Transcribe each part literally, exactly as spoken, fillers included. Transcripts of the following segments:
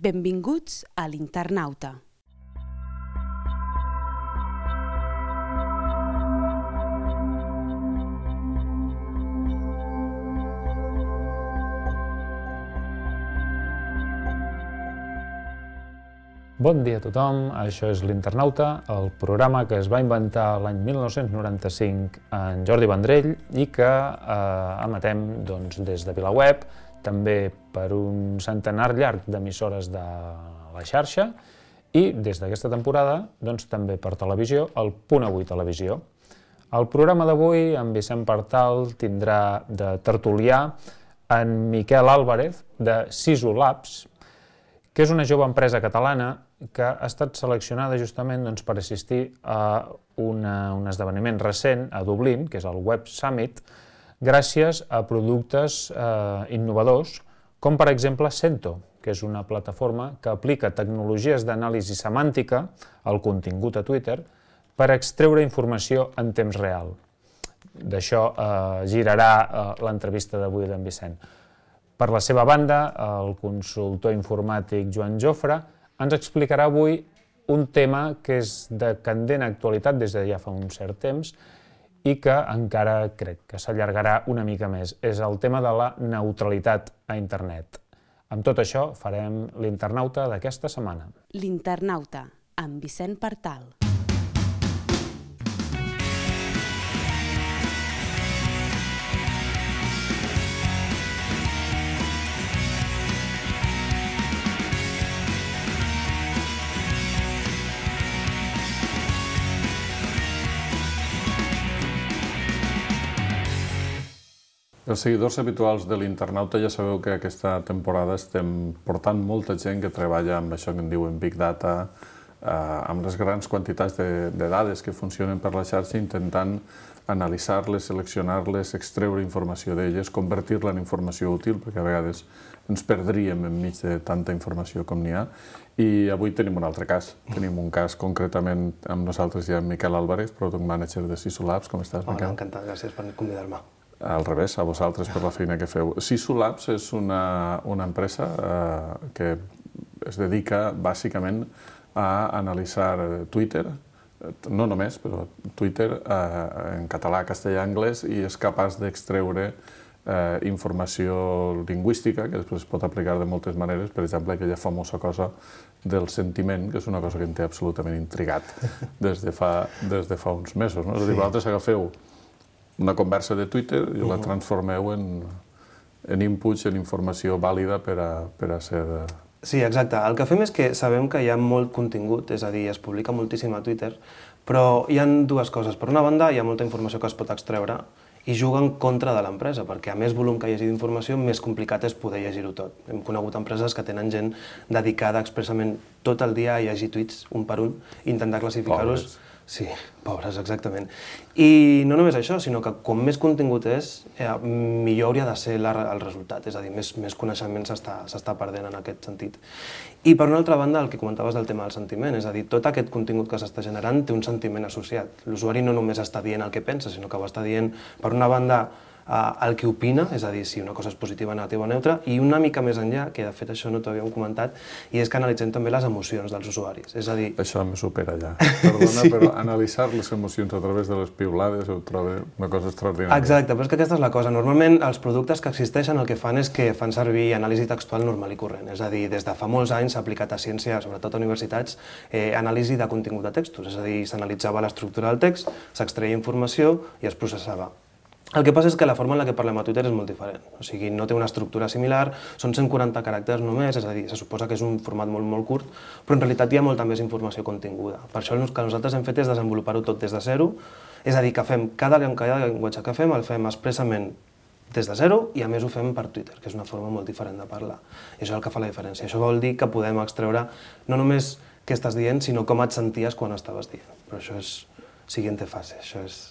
Benvinguts a l'Internauta. Bon dia a tothom, això és l'Internauta, el programa que es va inventar l'any mil nou-cents noranta-cinc en Jordi Vendrell i que eh, emetem doncs, des de VilaWeb, també per un centenar llarg d'emissores de la xarxa i des d'aquesta temporada doncs, també per televisió, el Punt Avui Televisió. El programa d'avui, en Vicent Partal, tindrà de tertulià en Miquel Álvarez de Sisu Labs, que és una jove empresa catalana que ha estat seleccionada justament doncs, per assistir a una, un esdeveniment recent a Dublín, que és el Web Summit, gràcies a productes eh, innovadors, com per exemple Cento, que és una plataforma que aplica tecnologies d'anàlisi semàntica al contingut a Twitter per extreure informació en temps real. D'això eh, girarà eh, l'entrevista d'avui d'en Vicent. Per la seva banda, el consultor informàtic Joan Jofre ens explicarà avui un tema que és de candent actualitat des de ja fa un cert temps i que encara crec que s'allargarà una mica més. És el tema de la neutralitat a internet. Amb tot això farem l'Internauta d'aquesta setmana. L'Internauta, amb Vicent Partal. Els seguidors habituals de l'Internauta ja sabeu que aquesta temporada estem portant molta gent que treballa amb això que en diuen Big Data, eh, amb les grans quantitats de, de dades que funcionen per la xarxa, intentant analitzar-les, seleccionar-les, extreure informació d'elles, convertir-la en informació útil, perquè a vegades ens perdríem enmig de tanta informació com n'hi ha. I avui tenim un altre cas. Tenim un cas concretament amb nosaltres ja en Miquel Álvarez, Product Manager de Sisu Labs. Com estàs, Miquel? Hola, encantat, gràcies per convidar-me. Al revés, a vosaltres per la feina que feu. Sisu Labs és una, una empresa eh, que es dedica bàsicament a analitzar Twitter, no només, però Twitter eh, en català, castellà, anglès, i és capaç d'extreure eh, informació lingüística, que després es pot aplicar de moltes maneres, per exemple, aquella famosa cosa del sentiment, que és una cosa que em té absolutament intrigat des de fa, des de fa uns mesos. No? És a dir, vosaltres agafeu una conversa de Twitter i la transformeu en, en inputs, en informació vàlida per a, per a ser... Sí, exacte. El que fem és que sabem que hi ha molt contingut, és a dir, es publica moltíssim a Twitter, però hi ha dues coses. Per una banda, hi ha molta informació que es pot extreure i juga en contra de l'empresa, perquè a més volum que hi hagi d'informació, més complicat és poder llegir-ho tot. Hem conegut empreses que tenen gent dedicada expressament tot el dia a llegir tuits, un per un, i intentar classificar-los. Sí, pobres, exactament. I no només això, sinó que com més contingut és, eh, millor hauria de ser la, el resultat, és a dir, més, més coneixement s'està perdent en aquest sentit. I per una altra banda, el que comentaves del tema del sentiment, és a dir, tot aquest contingut que s'està generant té un sentiment associat. L'usuari no només està dient el que pensa, sinó que ho està dient, per una banda, el que opina, és a dir, si una cosa és positiva, negativa o neutra, i una mica més enllà, que de fet això no t'ho havíem comentat, i és que analitzem també les emocions dels usuaris. És a dir... Això me supera ja. Perdona, sí. Però analitzar les emocions a través de les piulades ho trobo una cosa extraordinària. Exacte, però és que aquesta és la cosa. Normalment els productes que existeixen el que fan és que fan servir anàlisi textual normal i corrent. És a dir, des de fa molts anys s'ha aplicat a ciència, sobretot a universitats, eh, anàlisi de contingut de textos. És a dir, s'analitzava l'estructura del text, s'extreia informació i es processava. El que passa és que la forma en la que parlem a Twitter és molt diferent, o sigui, no té una estructura similar, són cent quaranta caràcters només, és a dir, se suposa que és un format molt, molt curt, però en realitat hi ha molta més informació continguda. Per això el que nosaltres hem fet és desenvolupar-ho tot des de zero, és a dir, que fem cada, cada llenguatge que fem el fem expressament des de zero i a més ho fem per Twitter, que és una forma molt diferent de parlar. I això és el que fa la diferència. Això vol dir que podem extreure no només què estàs dient, sinó com et senties quan estaves dient. Però això és siguiente fase, això és...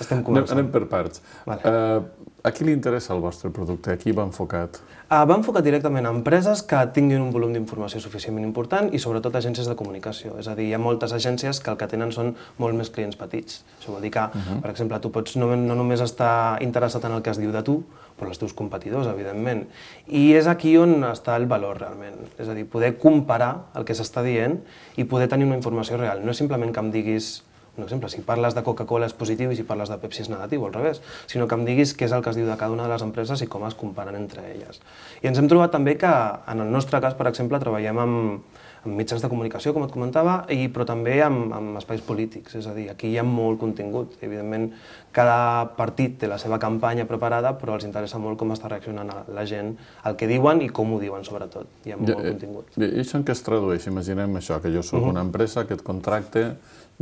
estem començant. Anem per parts. Vale. Uh, a qui li interessa el vostre producte? A qui va enfocat? Uh, va enfocat directament a empreses que tinguin un volum d'informació suficientment important i sobretot agències de comunicació. És a dir, hi ha moltes agències que el que tenen són molt més clients petits. Això vol dir que, uh-huh. per exemple, tu pots no, no només estar interessat en el que es diu de tu, però els teus competidors, evidentment. I és aquí on està el valor, realment. És a dir, poder comparar el que s'està dient i poder tenir una informació real. No és simplement que em diguis, un exemple, si parles de Coca-Cola és positiu i si parles de Pepsi és negatiu, o al revés, sinó que em diguis què és el que es diu de cada una de les empreses i com es comparen entre elles. I ens hem trobat també que, en el nostre cas, per exemple, treballem amb, amb mitjans de comunicació, com et comentava, i, però també amb, amb espais polítics, és a dir, aquí hi ha molt contingut. Evidentment, cada partit té la seva campanya preparada, però els interessa molt com està reaccionant la gent, el que diuen i com ho diuen, sobretot. Hi ha molt I, contingut. I això en què es tradueix? Imaginem això, que jo soc uh-huh. una empresa que et contracte,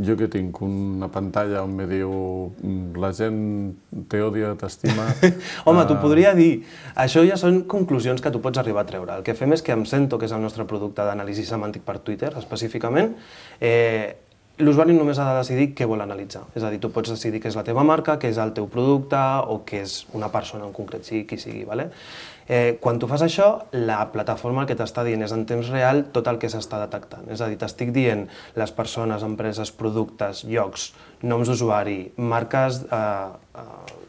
jo que tinc una pantalla on me diu la gent t'odia, t'estima... Home, t'ho podria dir. Això ja són conclusions que tu pots arribar a treure. El que fem és que em sento, que és el nostre producte d'anàlisi semàntic per Twitter, específicament, eh, l'usuari només ha de decidir què vol analitzar. És a dir, tu pots decidir què és la teva marca, què és el teu producte o què és una persona en concret, sigui qui sigui. Vale? Eh, quan tu fas això, la plataforma el que t'està dient és en temps real tot el que s'està detectant. És a dir, t'estic dient les persones, empreses, productes, llocs, noms d'usuari, marques eh,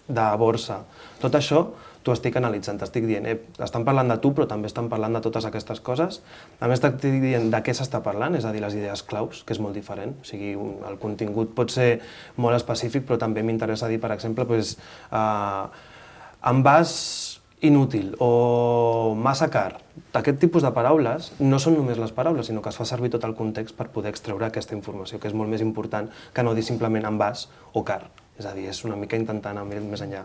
de borsa, tot això t'ho estic analitzant, t'estic dient, eh, estan parlant de tu, però també estan parlant de totes aquestes coses. A més, t'estic dient de què s'està parlant, és a dir, les idees claus, que és molt diferent. O sigui, un, el contingut pot ser molt específic, però també m'interessa dir, per exemple, pues, eh, envàs inútil o massa car. Aquest tipus de paraules no són només les paraules, sinó que es fa servir tot el context per poder extreure aquesta informació, que és molt més important que no dir simplement envàs o car. És a dir, és una mica intentar anar més enllà.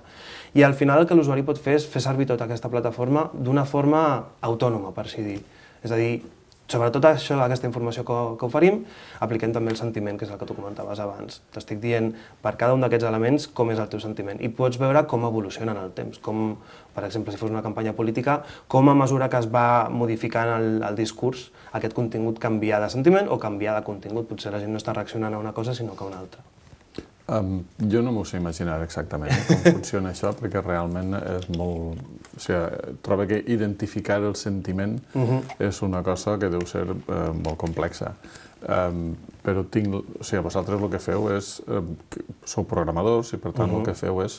I al final el que l'usuari pot fer és fer servir tota aquesta plataforma d'una forma autònoma, per així dir. És a dir, sobretot això, aquesta informació que, que oferim, apliquem també el sentiment, que és el que tu comentaves abans. T'estic dient per cada un d'aquests elements com és el teu sentiment i pots veure com evoluciona en el temps, com, per exemple, si fos una campanya política, com a mesura que es va modificant el, el discurs, aquest contingut canvia de sentiment o canvia de contingut. Potser la gent no està reaccionant a una cosa sinó que a una altra. Um, jo no m'ho sé imaginar exactament eh, com funciona això, perquè realment és molt... O sigui, trobo que identificar el sentiment uh-huh. és una cosa que deu ser eh, molt complexa. Um, però tinc... O sigui, vosaltres el que feu és... Eh, sou programadors i, per tant, uh-huh. el que feu és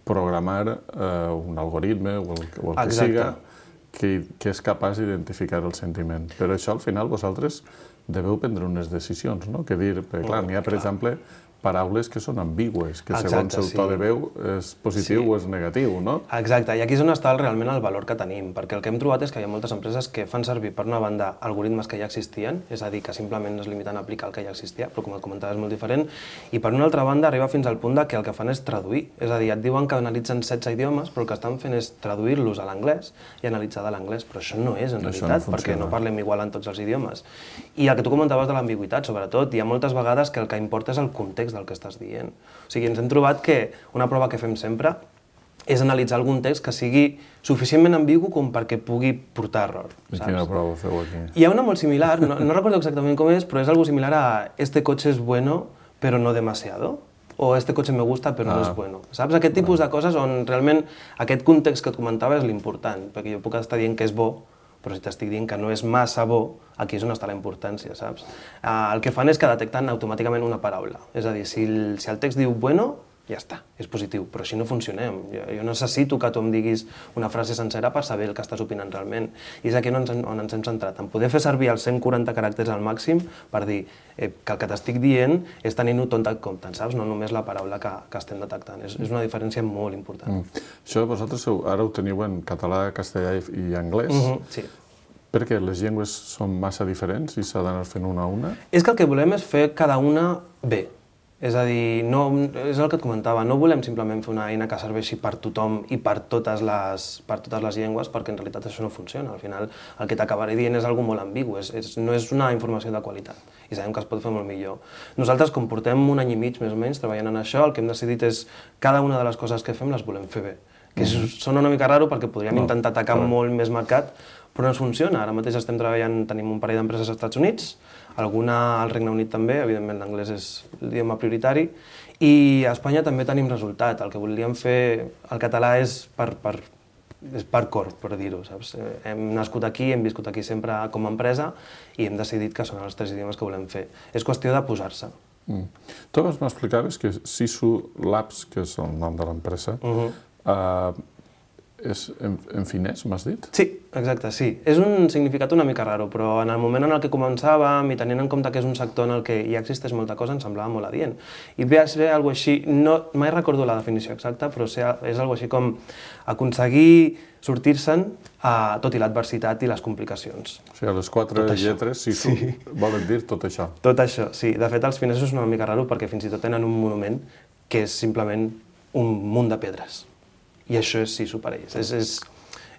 programar eh, un algoritme o el, o el que Exacte. siga que, que és capaç d'identificar el sentiment. Però això, al final, vosaltres deveu prendre unes decisions, no? Que dir... Perquè, clar, n'hi ha, per exemple, paraules que són ambigües, que segons el to de veu és positiu o és negatiu, no? Exacte, i aquí és on està realment el valor que tenim, perquè el que hem trobat és que hi ha moltes empreses que fan servir, per una banda, algoritmes que ja existien, és a dir, que simplement es limiten a aplicar el que ja existia, però com et comentava és molt diferent, i per una altra banda arriba fins al punt que el que fan és traduir, és a dir, et diuen que analitzen setze idiomes, però el que estan fent és traduir-los a l'anglès i analitzar de l'anglès, però això no és en realitat, perquè no parlem igual en tots els idiomes. I el que tu comentaves de l'ambigüitat, sobretot, hi ha moltes vegades que el que importa és el context del que estàs dient. O sigui, ens hem trobat que una prova que fem sempre és analitzar algun text que sigui suficientment ambigu com perquè pugui portar error. I quina prova feu aquí? Hi ha una molt similar, no, no recordo exactament com és, però és algo similar a este coche es bueno, pero no demasiado, o este coche me gusta, però ah. no és bueno. Saps? Aquest tipus de coses on realment aquest context que et comentava és l'important, perquè jo puc estar dient que és bo, però si t'estic dient que no és massa bo, aquí és on està la importància, saps? Uh, el que fan és que detecten automàticament una paraula. És a dir, si el, si el text diu bueno, ja està, és positiu, però així no funcionem. Jo, jo necessito que tu em diguis una frase sencera per saber el que estàs opinant realment. I és aquí on ens, on ens hem centrat, en poder fer servir els cent quaranta caràcters al màxim per dir eh, que el que t'estic dient és tenint-ho tot en compte, saps? No només la paraula que, que estem detectant. És, és una diferència molt important. Mm. Això vosaltres ara ho teniu en català, castellà i anglès. Mm-hmm, sí. Perquè les llengües són massa diferents i s'ha d'anar fent una a una? És que el que volem és fer cada una bé. És a dir, no, és el que et comentava, no volem simplement fer una eina que serveixi per tothom i per totes les, per totes les llengües, perquè en realitat això no funciona. Al final el que t'acabaré dient és algo molt ambigu, és, és, no és una informació de qualitat i sabem que es pot fer molt millor. Nosaltres, com portem un any i mig més o menys treballant en això, el que hem decidit és cada una de les coses que fem les volem fer bé. Que és, sona una mica raro perquè podríem no, intentar atacar no. molt més mercat, però no ens funciona. Ara mateix estem treballant, tenim un parell d'empreses als Estats Units, alguna al Regne Unit també, evidentment l'anglès és l'idioma prioritari, i a Espanya també tenim resultat. El que volíem fer, el català és per, per, és per cor, per dir-ho, saps? Hem nascut aquí, hem viscut aquí sempre com a empresa i hem decidit que són els tres idiomes que volem fer. És qüestió de posar-se. Mm. Tu abans m'explicaves que Sisu Labs, que és el nom de l'empresa, uh-huh. uh, és en, en finès, m'has dit? Sí, exacte, sí. És un significat una mica raro, però en el moment en el que començàvem i tenint en compte que és un sector en el que ja existeix molta cosa, em semblava molt adient. I ve a ser alguna cosa així, no, mai recordo la definició exacta, però és alguna cosa així com aconseguir sortir-se'n tot i l'adversitat i les complicacions. O sigui, les quatre tot lletres, Sisu, sí. Volen dir tot això. Tot això, sí. De fet, els finesos és una mica raro perquè fins i tot tenen un monument que és simplement un munt de pedres. I això és Sisu per ells. És, és,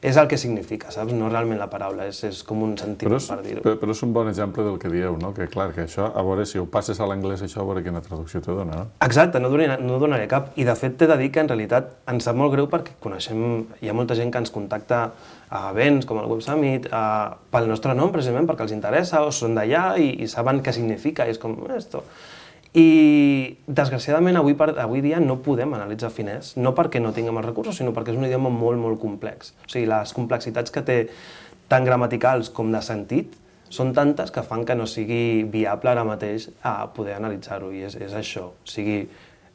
és el que significa, saps? No realment la paraula, és, és com un sentiment, però és, per dir-ho. Però, però és un bon exemple del que dieu, no? Que clar, que això, a veure, si ho passes a l'anglès, això, a veure quina traducció te dona, no? Exacte, no donaré, no donaré cap. I de fet t'he de dir que en realitat ens sap molt greu perquè coneixem, hi ha molta gent que ens contacta a events com el Web Summit, a, pel nostre nom, precisament, perquè els interessa, o són d'allà i, i saben què significa, i és com, esto... I, desgraciadament, avui, per, avui dia no podem analitzar finès, no perquè no tinguem els recursos, sinó perquè és un idioma molt, molt complex. O sigui, les complexitats que té tant gramaticals com de sentit són tantes que fan que no sigui viable ara mateix a poder analitzar-ho, i és, és això. O sigui,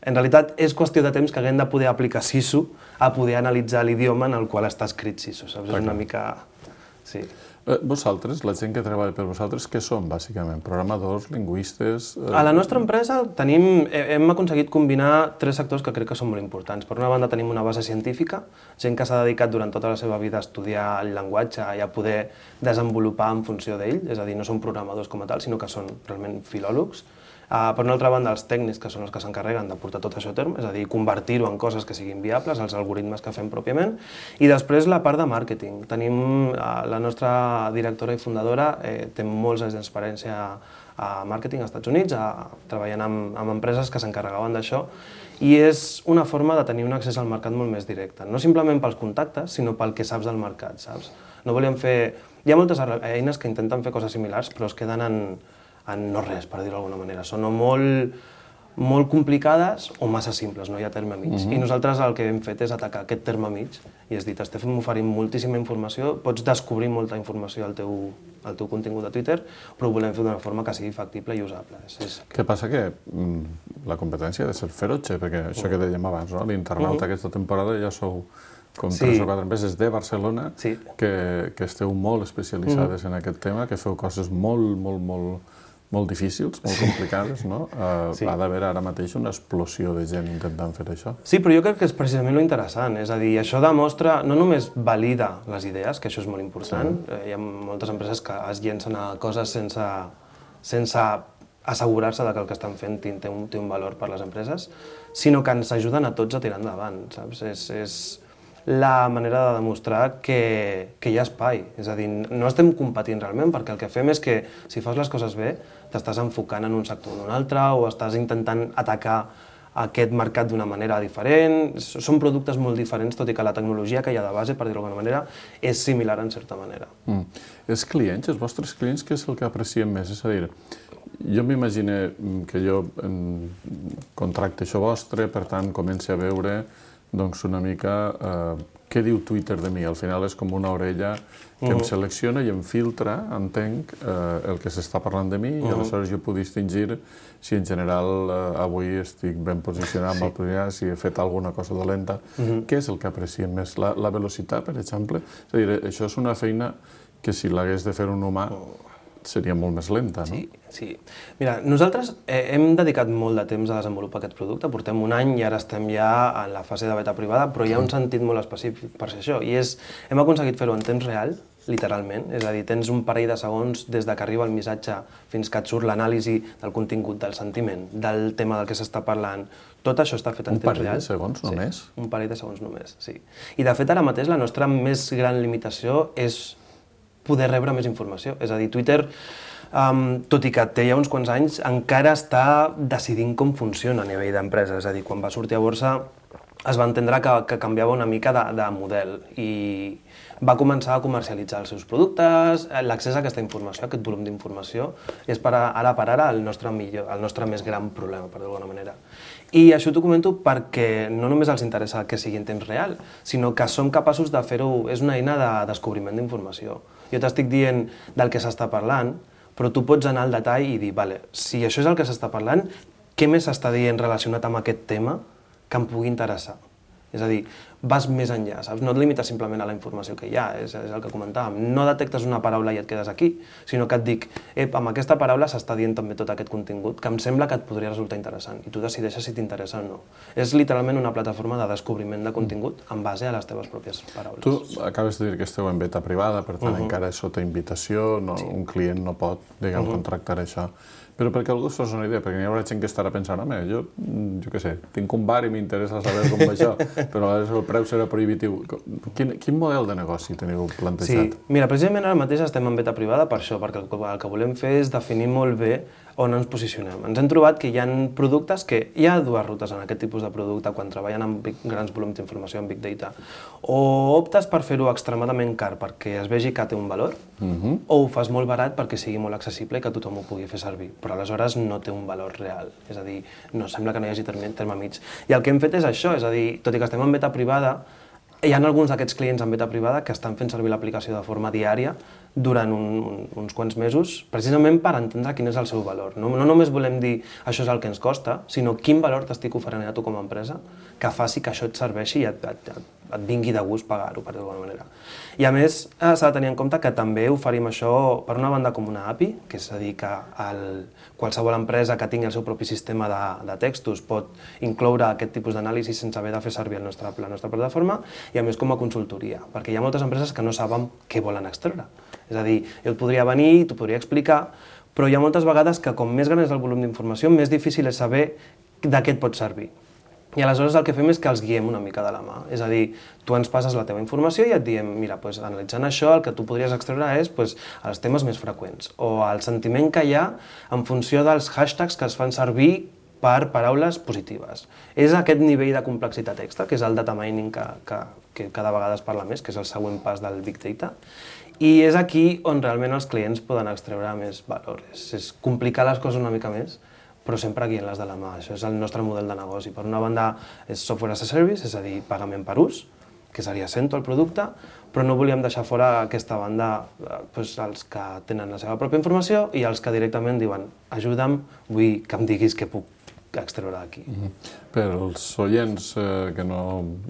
en realitat, és qüestió de temps que haguem de poder aplicar Sisu a poder analitzar l'idioma en el qual està escrit Sisu, saps? És una mica... Sí. Eh, vosaltres, la gent que treballa per vosaltres, què són, bàsicament? Programadors, lingüistes... Eh... A la nostra empresa tenim, hem aconseguit combinar tres sectors que crec que són molt importants. Per una banda tenim una base científica, gent que s'ha dedicat durant tota la seva vida a estudiar el llenguatge i a poder desenvolupar en funció d'ell, és a dir, no són programadors com a tal, sinó que són realment filòlegs. Uh, per una altra banda, els tècnics, que són els que s'encarreguen de portar tot això a terme, és a dir, convertir-ho en coses que siguin viables, els algoritmes que fem pròpiament, i després la part de màrqueting. Tenim, uh, la nostra directora i fundadora eh, té molts anys d'experiència a màrqueting als Estats Units, a, treballant amb, amb empreses que s'encarregaven d'això, i és una forma de tenir un accés al mercat molt més directe, no simplement pels contactes, sinó pel que saps del mercat, saps? No volíem fer... Hi ha moltes eines que intenten fer coses similars, però es queden en... en no res, per dir-ho d'alguna manera. Són o molt, molt complicades o massa simples, no hi ha terme mig. Uh-huh. I nosaltres el que hem fet és atacar aquest terme mig i és dit, estem oferint moltíssima informació, pots descobrir molta informació al teu, al teu contingut de Twitter, però ho volem fer d'una forma que sigui factible i usable. És, és... Què passa? Que mm, la competència ha de ser ferotge, perquè això que dèiem abans, no? L'internauta uh-huh. aquesta temporada ja sou com sí. tres o quatre empreses de Barcelona sí. que, que esteu molt especialitzades uh-huh. en aquest tema, que feu coses molt, molt, molt... molt difícils, molt complicades, no? Uh, sí. Ha d'haver ara mateix una explosió de gent intentant fer això. Sí, però jo crec que és precisament lo interessant, és a dir, això demostra, no només valida les idees, que això és molt important, sí. Hi ha moltes empreses que es llencen a coses sense, sense assegurar-se de que el que estan fent té un, té un valor per les empreses, sinó que ens ajuden a tots a tirar endavant, saps? És, és la manera de demostrar que, que hi ha espai. És a dir, no estem competint realment, perquè el que fem és que si fas les coses bé, t'estàs enfocant en un sector o en un altre, o estàs intentant atacar aquest mercat d'una manera diferent. Són productes molt diferents, tot i que la tecnologia que hi ha de base, per dir-ho d'alguna manera, és similar en certa manera. Mm. Els clients, els vostres clients, què és el que aprecien més? És a dir, jo m'imagino que jo contracte això vostre, per tant, comenci a veure doncs una mica eh, què diu Twitter de mi. Al final és com una orella que uh-huh. em selecciona i em filtra, entenc, eh, el que s'està parlant de mi uh-huh. i aleshores jo puc distingir si en general eh, avui estic ben posicionat amb sí. el programa, si he fet alguna cosa dolenta. Uh-huh. Què és el que apreciem més? La, la velocitat, per exemple? És a dir, això és una feina que si l'hagués de fer un humà seria molt més lenta, no? Sí, sí. Mira, nosaltres eh, hem dedicat molt de temps a desenvolupar aquest producte, portem un any i ara estem ja en la fase de beta privada, però hi ha un sentit molt específic per ser això, i és, hem aconseguit fer-ho en temps real, literalment, és a dir, tens un parell de segons des que arriba el missatge fins que et surt l'anàlisi del contingut, del sentiment, del tema del que s'està parlant. Tot això està fet en temps real. Un parell de segons només? Sí, un parell de segons només, sí. I de fet ara mateix la nostra més gran limitació és poder rebre més informació. És a dir, Twitter, um, tot i que té ja uns quants anys, encara està decidint com funciona a nivell d'empresa. És a dir, quan va sortir a borsa es va entendre que, que canviava una mica de, de model i va començar a comercialitzar els seus productes, l'accés a aquesta informació, a aquest volum d'informació, és per ara per ara el nostre, millor, el nostre més gran problema, per dir-ho d'alguna manera. I això t'ho comento perquè no només els interessa que sigui en temps real, sinó que som capaços de fer-ho, és una eina de descobriment d'informació. Jo t'estic dient del que s'està parlant, però tu pots anar al detall i dir, vale, si això és el que s'està parlant, què més s'està dient relacionat amb aquest tema que em pugui interessar? És a dir, vas més enllà, saps? No et limites simplement a la informació que hi ha, és, és el que comentàvem. No detectes una paraula i et quedes aquí, sinó que et dic, ep, amb aquesta paraula s'està dient també tot aquest contingut que em sembla que et podria resultar interessant i tu decideixes si t'interessa o no. És literalment una plataforma de descobriment de contingut en base a les teves pròpies paraules. Tu acabes de dir que esteu en beta privada, per tant, uh -huh. encara és sota invitació, no, sí. un client no pot, diguem, uh -huh. contractar això. Però perquè algú es fos una idea, perquè hi haurà gent que estarà pensant, home, jo, jo què sé, tinc un bar i m'interessa saber com va això, però a el preu serà prohibitiu. Quin, quin model de negoci teniu plantejat? Sí, mira, precisament ara mateix estem en beta privada per això, perquè el que volem fer és definir molt bé on ens posicionem. Ens hem trobat que hi ha productes que hi ha dues rutes en aquest tipus de producte quan treballen amb big, grans volums d'informació en Big Data. O optes per fer-ho extremadament car perquè es vegi que té un valor, uh-huh. o ho fas molt barat perquè sigui molt accessible i que tothom ho pugui fer servir, però aleshores no té un valor real. És a dir, no sembla que no hi hagi terme, terme mig. I el que hem fet és això, és a dir, tot i que estem en beta privada, hi ha alguns d'aquests clients en beta privada que estan fent servir l'aplicació de forma diària durant un, un, uns quants mesos, precisament per entendre quin és el seu valor. No, no només volem dir això és el que ens costa, sinó quin valor t'estic oferint a tu com a empresa que faci que això et serveixi i et, et, et, et vingui de gust pagar-ho, per dir-ho d'alguna manera. I a més, s'ha de tenir en compte que també oferim això per una banda com una A P I, que és a dir que el, qualsevol empresa que tingui el seu propi sistema de, de textos pot incloure aquest tipus d'anàlisi sense haver de fer servir el nostre, la nostra plataforma, i a més com a consultoria, perquè hi ha moltes empreses que no saben què volen extreure. És a dir, jo et podria venir, t'ho podria explicar, però hi ha moltes vegades que com més gran és el volum d'informació, més difícil és saber de què et pot servir. I aleshores el que fem és que els guiem una mica de la mà. És a dir, tu ens passes la teva informació i et diem, mira, doncs, analitzant això, el que tu podries extreure és doncs, els temes més freqüents, o el sentiment que hi ha en funció dels hashtags que es fan servir per paraules positives. És aquest nivell de complexitat extra, que és el data mining que, que, que cada vegada es parla més, que és el següent pas del Big Data, i és aquí on realment els clients poden extreure més valor. És, és complicar les coses una mica més, però sempre guiant-les de la mà. Això és el nostre model de negoci. Per una banda, és software as a service, és a dir, pagament per ús, que seria Cento el producte, però no volíem deixar fora aquesta banda doncs, els que tenen la seva pròpia informació i els que directament diuen ajuda'm, vull que em diguis què puc extreure d'aquí. Mm-hmm. Per als oients eh, que no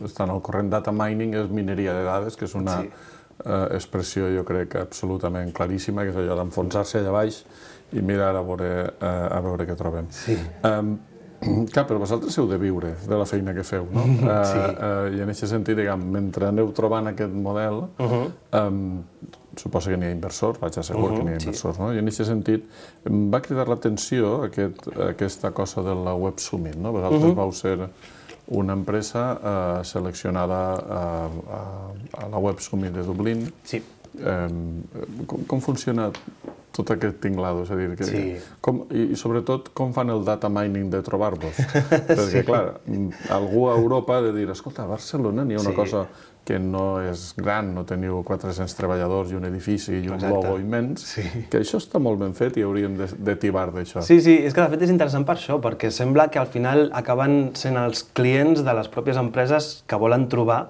estan al corrent, data mining és mineria de dades, que és una sí. eh, expressió, jo crec, absolutament claríssima, que és allò d'enfonsar-se allà baix i mirar a veure, eh, a veure què trobem. Sí. Um, clar, però vosaltres heu de viure de la feina que feu, no? Sí. Uh, uh, I en aquest sentit, diguem, mentre aneu trobant aquest model, uh-huh. um, suposo que n'hi ha inversors, vaig assegur uh-huh, que n'hi ha inversors, sí. no? I en aquest sentit em va cridar l'atenció aquest, aquesta cosa de la Web Summit, no? Vosaltres uh-huh. vau ser una empresa uh, seleccionada uh, a, a la Web Summit de Dublín. Sí. Um, com, com funciona tot aquest tinglado? És a dir, que, sí. com, i, i sobretot com fan el data mining de trobar-vos? Perquè, sí. clar, algú a Europa ha de dir, escolta, a Barcelona n'hi ha una sí. cosa que no és gran, no teniu quatre-cents treballadors i un edifici i un Exacte. Logo immens, sí. que això està molt ben fet i hauríem de, de tibar d'això. Sí, sí, és que de fet és interessant per això, perquè sembla que al final acaben sent els clients de les pròpies empreses que volen trobar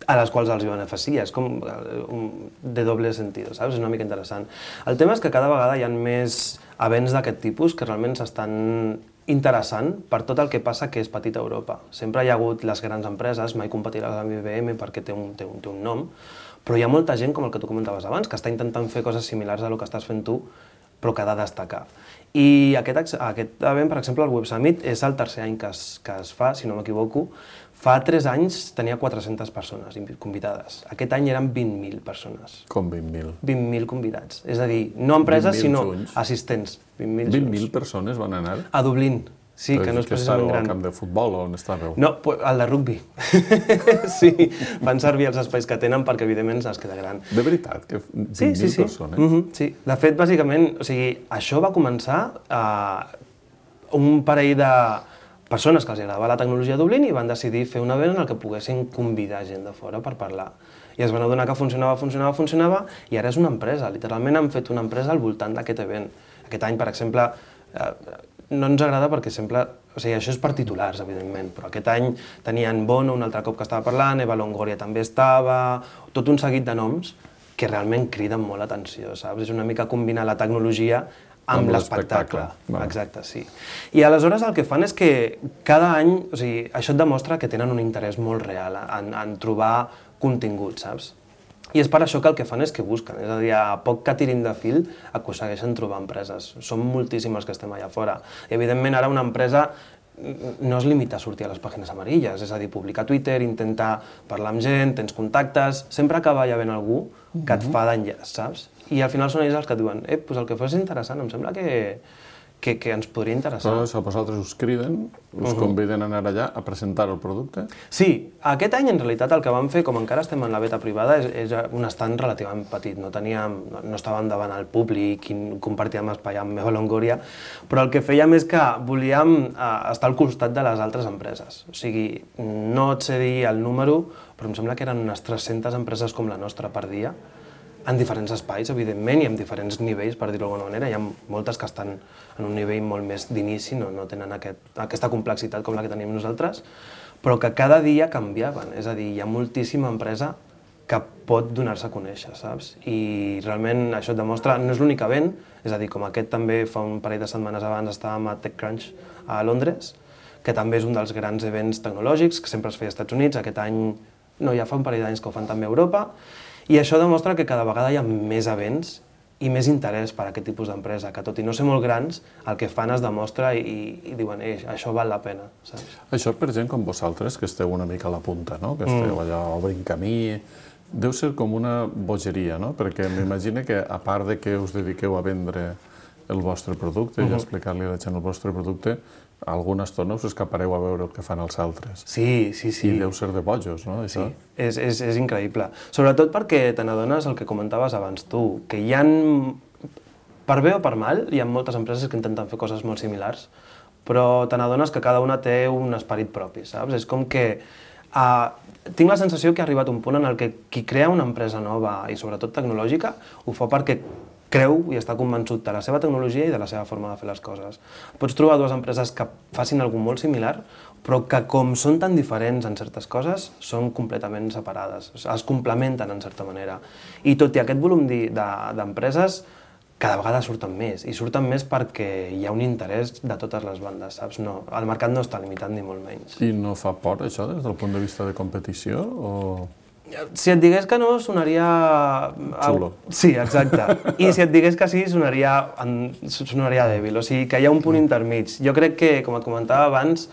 a les quals els beneficia. És com de doble sentit, saps? És una mica interessant. El tema és que cada vegada hi ha més events d'aquest tipus que realment s'estan interessant per tot el que passa que és petita Europa. Sempre hi ha hagut les grans empreses, mai competiràs amb I B M perquè té un, té un, té un nom, però hi ha molta gent, com el que tu comentaves abans, que està intentant fer coses similars a el que estàs fent tu, però que ha de destacar. I aquest, aquest event, per exemple, el Web Summit, és el tercer any que es, que es fa, si no m'equivoco. Fa tres anys tenia quatre-centes persones convidades. Aquest any eren vint mil persones. Com vint mil? vint mil convidats. És a dir, no empreses, sinó assistents. vint mil persones van anar? A Dublín. Sí, que no és precisament gran. Al camp de futbol o on estàveu? No, al de rugbi. Sí, fan servir els espais que tenen perquè, evidentment, es queda gran. De veritat, que vint mil sí, sí, sí. persones? Mm-hmm, sí. De fet, bàsicament, o sigui, això va començar a un parell de persones que els agradava la tecnologia a Dublín i van decidir fer un event en el que poguessin convidar gent de fora per parlar. I es van adonar que funcionava, funcionava, funcionava, i ara és una empresa. Literalment han fet una empresa al voltant d'aquest event. Aquest any, per exemple, eh, no ens agrada perquè sempre... O sigui, això és per titulars, evidentment, però aquest any tenien Bono, un altre cop que estava parlant, Eva Longoria també estava, tot un seguit de noms que realment criden molt l'atenció, saps? És una mica combinar la tecnologia amb l'espectacle. Exacte, sí. I aleshores el que fan és que cada any, o sigui, això et demostra que tenen un interès molt real en, en trobar contingut, saps? I és per això que el que fan és que busquen, és a dir, a poc que tirin de fil aconsegueixen trobar empreses. Som moltíssimes que estem allà fora. I evidentment ara una empresa no es limita a sortir a les pàgines amarilles, és a dir, publicar a Twitter, intentar parlar amb gent, tens contactes, sempre acaba hi havent algú que et fa d'enllaç, saps? I al final són ells els que et diuen, eh, doncs el que fos és interessant, em sembla que, que, que ens podria interessar. Però si vosaltres us criden, us uh-huh. conviden a anar allà a presentar el producte? Sí, aquest any en realitat el que vam fer, com encara estem en la beta privada, és, és un estand relativament petit, no teníem, no estàvem davant al públic i compartíem espai amb Eva Longoria, però el que fèiem és que volíem eh, estar al costat de les altres empreses. O sigui, no et sé dir el número, però em sembla que eren unes tres-centes empreses com la nostra per dia, en diferents espais, evidentment, i en diferents nivells, per dir-ho d'alguna manera. Hi ha moltes que estan en un nivell molt més d'inici, no, no tenen aquest, aquesta complexitat com la que tenim nosaltres, però que cada dia canviaven. És a dir, hi ha moltíssima empresa que pot donar-se a conèixer, saps? I realment això et demostra, no és l'únic event, és a dir, com aquest també fa un parell de setmanes abans estàvem a TechCrunch a Londres, que també és un dels grans events tecnològics, que sempre es feia als Estats Units, aquest any, no, ja fa un parell d'anys que ho fan també a Europa, i això demostra que cada vegada hi ha més events i més interès per a aquest tipus d'empresa, que tot i no ser molt grans, el que fan es demostra i, i diuen, eh, això val la pena, saps? Això per gent com vosaltres, que esteu una mica a la punta, no? Que esteu allà obrint camí, deu ser com una bogeria, no? Perquè m'imagino que, a part de que us dediqueu a vendre el vostre producte uh-huh. i a explicar-li a la gent el vostre producte, alguna estona us escapareu a veure el que fan els altres. Sí, sí, sí. I deu ser de bojos, no? Això? Sí, és, és, és increïble. Sobretot perquè te n'adones el que comentaves abans tu, que hi ha, per bé o per mal, hi ha moltes empreses que intenten fer coses molt similars, però te n'adones que cada una té un esperit propi, saps? És com que uh, tinc la sensació que ha arribat un punt en el que qui crea una empresa nova i sobretot tecnològica ho fa perquè creu i està convençut de la seva tecnologia i de la seva forma de fer les coses. Pots trobar dues empreses que facin alguna molt similar, però que com són tan diferents en certes coses, són completament separades, es complementen en certa manera. I tot i aquest volum d'empreses, cada vegada surten més, i surten més perquè hi ha un interès de totes les bandes, saps? No, el mercat no està limitat ni molt menys. I no fa por això des del punt de vista de competició? O... Si et digués que no, sonaria... Xulo. Sí, exacte. I si et digués que sí, sonaria, sonaria dèbil. O sigui, que hi ha un punt intermig. Jo crec que, com et comentava abans,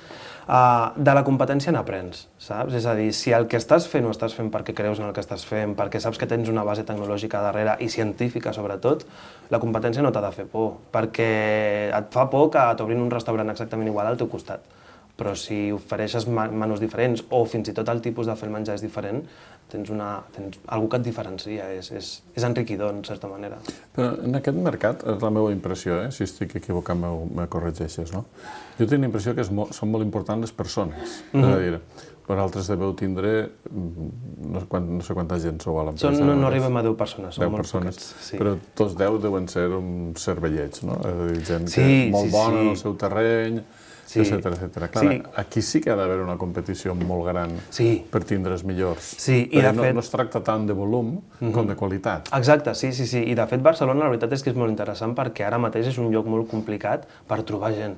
de la competència n'aprens, saps? És a dir, si el que estàs fent ho estàs fent perquè creus en el que estàs fent, perquè saps que tens una base tecnològica darrere i científica, sobretot, la competència no t'ha de fer por, perquè et fa por que t'obrin un restaurant exactament igual al teu costat. Però si ofereixes menús diferents o fins i tot el tipus de fer el menjar és diferent, tens, una, tens algú que et diferencia, és, és, és enriquidor, en certa manera. Però en aquest mercat, és la meva impressió, eh? Si estic equivocat me corregeixes, no? Jo tinc la impressió que és molt, són molt importants les persones. Mm-hmm. És a dir, vosaltres deveu tindre, no sé, quant, no sé quanta gent sou a l'empresa. No, no arribem a deu persones, som molt persones, poquets. Sí. Però tots deu deuen ser uns cervellets, no? És a dir, gent sí, que molt sí, bona sí. en el seu terreny, sí. etcètera, etcètera. Clar, sí. Aquí sí que ha d'haver una competició molt gran sí. per tindre els millors. Sí, i de no, fet... no es tracta tant de volum mm-hmm. com de qualitat. Exacte, sí, sí, sí. I de fet Barcelona la veritat és que és molt interessant perquè ara mateix és un lloc molt complicat per trobar gent.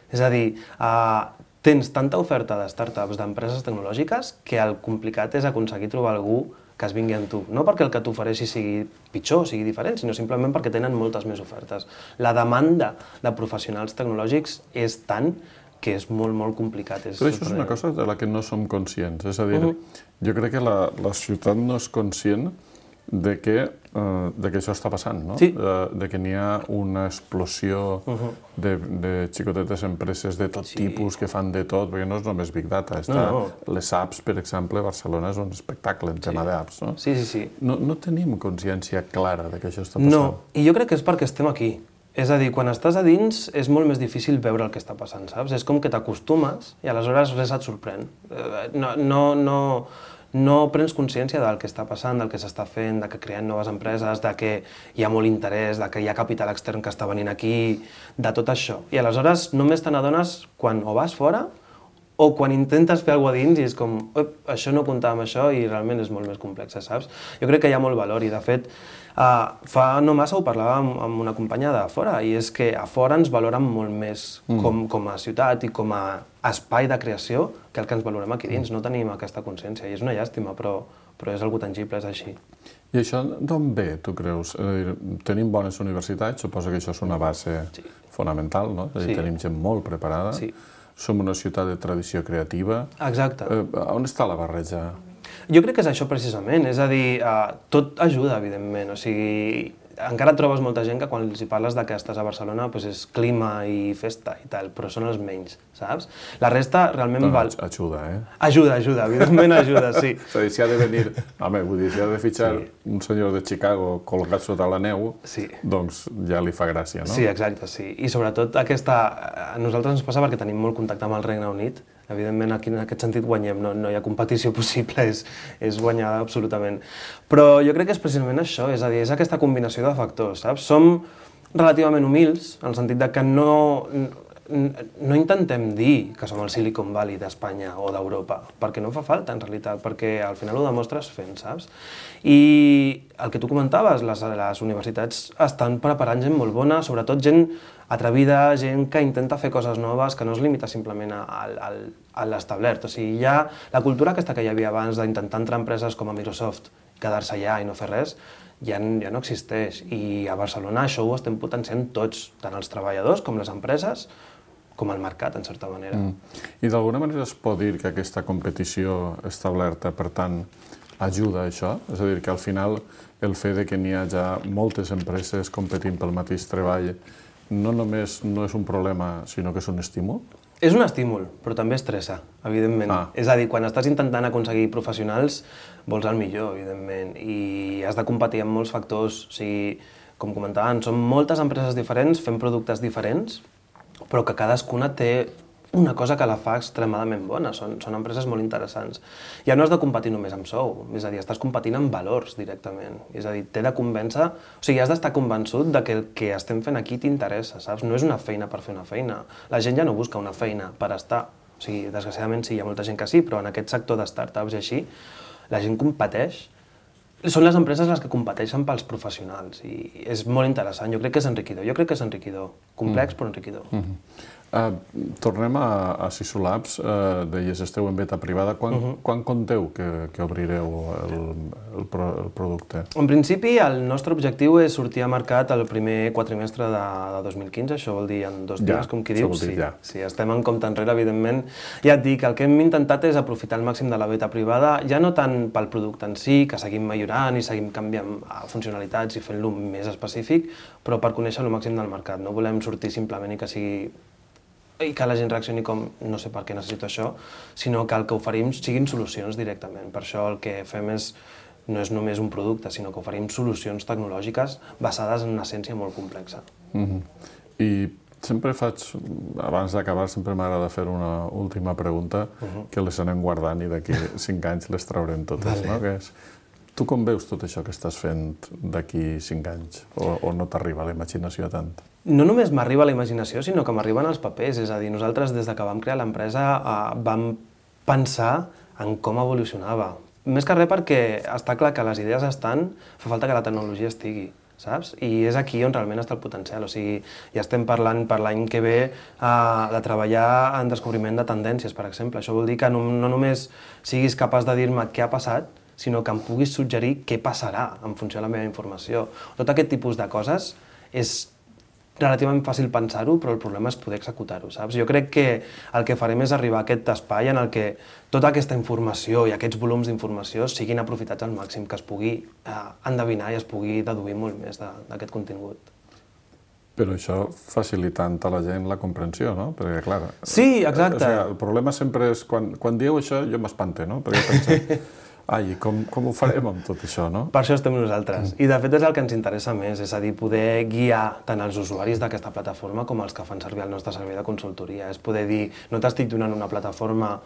És a dir, uh, tens tanta oferta de startups, d'empreses tecnològiques, que el complicat és aconseguir trobar algú que es vingui amb tu. No perquè el que t'ofereixi sigui pitjor, sigui diferent, sinó simplement perquè tenen moltes més ofertes. La demanda de professionals tecnològics és tant que és molt, molt complicat. És Però això és una cosa de la que no som conscients. És a dir, uh-huh. jo crec que la, la ciutat no és conscient de que, uh, de que això està passant, no? Sí. De, de que n'hi ha una explosió uh-huh. de, de xicotetes empreses de tot sí. tipus que fan de tot, perquè no és només Big Data. Està, no, no. Les apps, per exemple, Barcelona és un espectacle en sí. tema d'apps, no? Sí, sí, sí. No, no tenim consciència clara de que això està passant. No, i jo crec que és perquè estem aquí. És a dir, quan estàs a dins és molt més difícil veure el que està passant, saps? És com que t'acostumes i aleshores res et sorprèn. No, no, no, no prens consciència del que està passant, del que s'està fent, de que creen noves empreses, de que hi ha molt interès, de que hi ha capital extern que està venint aquí, de tot això. I aleshores només te n'adones quan o vas fora o quan intentes fer alguna cosa dins i és com, això no comptava amb això i realment és molt més complex, saps? Jo crec que hi ha molt valor i, de fet, uh, fa no massa ho parlava amb, amb una companya de fora i és que a fora ens valoren molt més mm. com, com a ciutat i com a espai de creació que el que ens valorem aquí dins. No tenim aquesta consciència i és una llàstima, però, però és algo tangible, és així. I això d'on ve, tu creus? És a dir, tenim bones universitats, suposo que això és una base sí. fonamental, no? És a dir, sí. tenim gent molt preparada. Sí. Som una ciutat de tradició creativa. Exacte. Eh, on està la barreja? Jo crec que és això precisament, és a dir, uh, tot ajuda, evidentment, o sigui, encara trobes molta gent que quan els hi parles de que estàs a Barcelona doncs és clima i festa i tal, però són els menys, saps? La resta realment no, val... Ajuda, eh? Ajuda, ajuda, evidentment ajuda, sí. És a dir, si ha de venir... Home, vull dir, si ha de fitxar sí. un senyor de Chicago colgat sota la neu, sí. doncs ja li fa gràcia, no? Sí, exacte, sí. I sobretot aquesta... A nosaltres ens passa perquè tenim molt contacte amb el Regne Unit. Evidentment, aquí en aquest sentit guanyem, no, no hi ha competició possible, és, és guanyar absolutament. Però jo crec que és precisament això, és a dir, és aquesta combinació de factors, saps? Som relativament humils, en el sentit de que no, no intentem dir que som el Silicon Valley d'Espanya o d'Europa, perquè no fa falta, en realitat, perquè al final ho demostres fent, saps? I el que tu comentaves, les, les universitats estan preparant gent molt bona, sobretot gent atrevida, gent que intenta fer coses noves, que no es limita simplement a, a, a l'establert. O sigui, ja la cultura aquesta que hi havia abans d'intentar entrar empreses com a Microsoft, quedar-se allà i no fer res, ja, ja no existeix. I a Barcelona això ho estem potenciant tots, tant els treballadors com les empreses, com el mercat, en certa manera. Mm. I d'alguna manera es pot dir que aquesta competició establerta, per tant, ajuda a això? És a dir, que al final el fet de que n'hi ha ja moltes empreses competint pel mateix treball no només no és un problema, sinó que és un estímul? És un estímul, però també estressa, evidentment. Ah. És a dir, quan estàs intentant aconseguir professionals, vols el millor, evidentment, i has de competir amb molts factors. O sigui, com comentaven, són moltes empreses diferents fent productes diferents, però que cadascuna té una cosa que la fa extremadament bona. Són, són empreses molt interessants. Ja no has de competir només amb sou, és a dir, estàs competint amb valors directament. És a dir, t'he de convèncer... O sigui, has d'estar convençut de que el que estem fent aquí t'interessa, saps? No és una feina per fer una feina. La gent ja no busca una feina per estar. O sigui, desgraciadament sí, hi ha molta gent que sí, però en aquest sector de startups i així, la gent competeix. Són les empreses les que competeixen pels professionals i és molt interessant. Jo crec que és enriquidor. Jo crec que és enriquidor. Complex, mm. però enriquidor. Mm-hmm. Uh, tornem a, a Sisulabs, uh, deies esteu en beta privada. Quan, uh-huh. quan conteu que, que obrireu el, el, pro, el producte? En principi, el nostre objectiu és sortir a mercat el primer quatrimestre de, de dos mil quinze, això vol dir en dos dies, ja, com qui diu. Sí, ja. sí, estem en compte enrere, evidentment. Ja et dic, el que hem intentat és aprofitar al màxim de la beta privada, ja no tant pel producte en si, que seguim millorant i seguim canviant funcionalitats i fent-lo més específic, però per conèixer el màxim del mercat. No volem sortir simplement i que sigui i que la gent reaccioni com, no sé per què necessito això, sinó que el que oferim siguin solucions directament. Per això el que fem és, no és només un producte, sinó que oferim solucions tecnològiques basades en una essència molt complexa. Mm-hmm. I sempre faig, abans d'acabar, sempre m'agrada fer una última pregunta uh-huh. que les anem guardant i d'aquí cinc anys les traurem totes, vale. No? Que és, tu com veus tot això que estàs fent d'aquí cinc anys? O, o no t'arriba la imaginació tant? No només m'arriba la imaginació, sinó que m'arriben els papers. És a dir, nosaltres des de que vam crear l'empresa eh, vam pensar en com evolucionava. Més que res perquè està clar que les idees estan, fa falta que la tecnologia estigui, saps? I és aquí on realment està el potencial. O sigui, ja estem parlant per l'any que ve eh, de treballar en descobriment de tendències, per exemple. Això vol dir que no, no només siguis capaç de dir-me què ha passat, sinó que em puguis suggerir què passarà en funció de la meva informació. Tot aquest tipus de coses és relativament fàcil pensar-ho, però el problema és poder executar-ho, saps? Jo crec que el que farem és arribar a aquest espai en el que tota aquesta informació i aquests volums d'informació siguin aprofitats al màxim, que es pugui eh, endevinar i es pugui deduir molt més d'aquest contingut. Però això facilitant a la gent la comprensió, no? Perquè, clar... Sí, exacte. O sigui, el problema sempre és, quan, quan dieu això, jo m'espante, no? Perquè penso... Ai, com, com ho farem amb tot això, no? Per això estem nosaltres. I, de fet, és el que ens interessa més, és a dir, poder guiar tant els usuaris d'aquesta plataforma com els que fan servir el nostre servei de consultoria. És poder dir, no t'estic donant una plataforma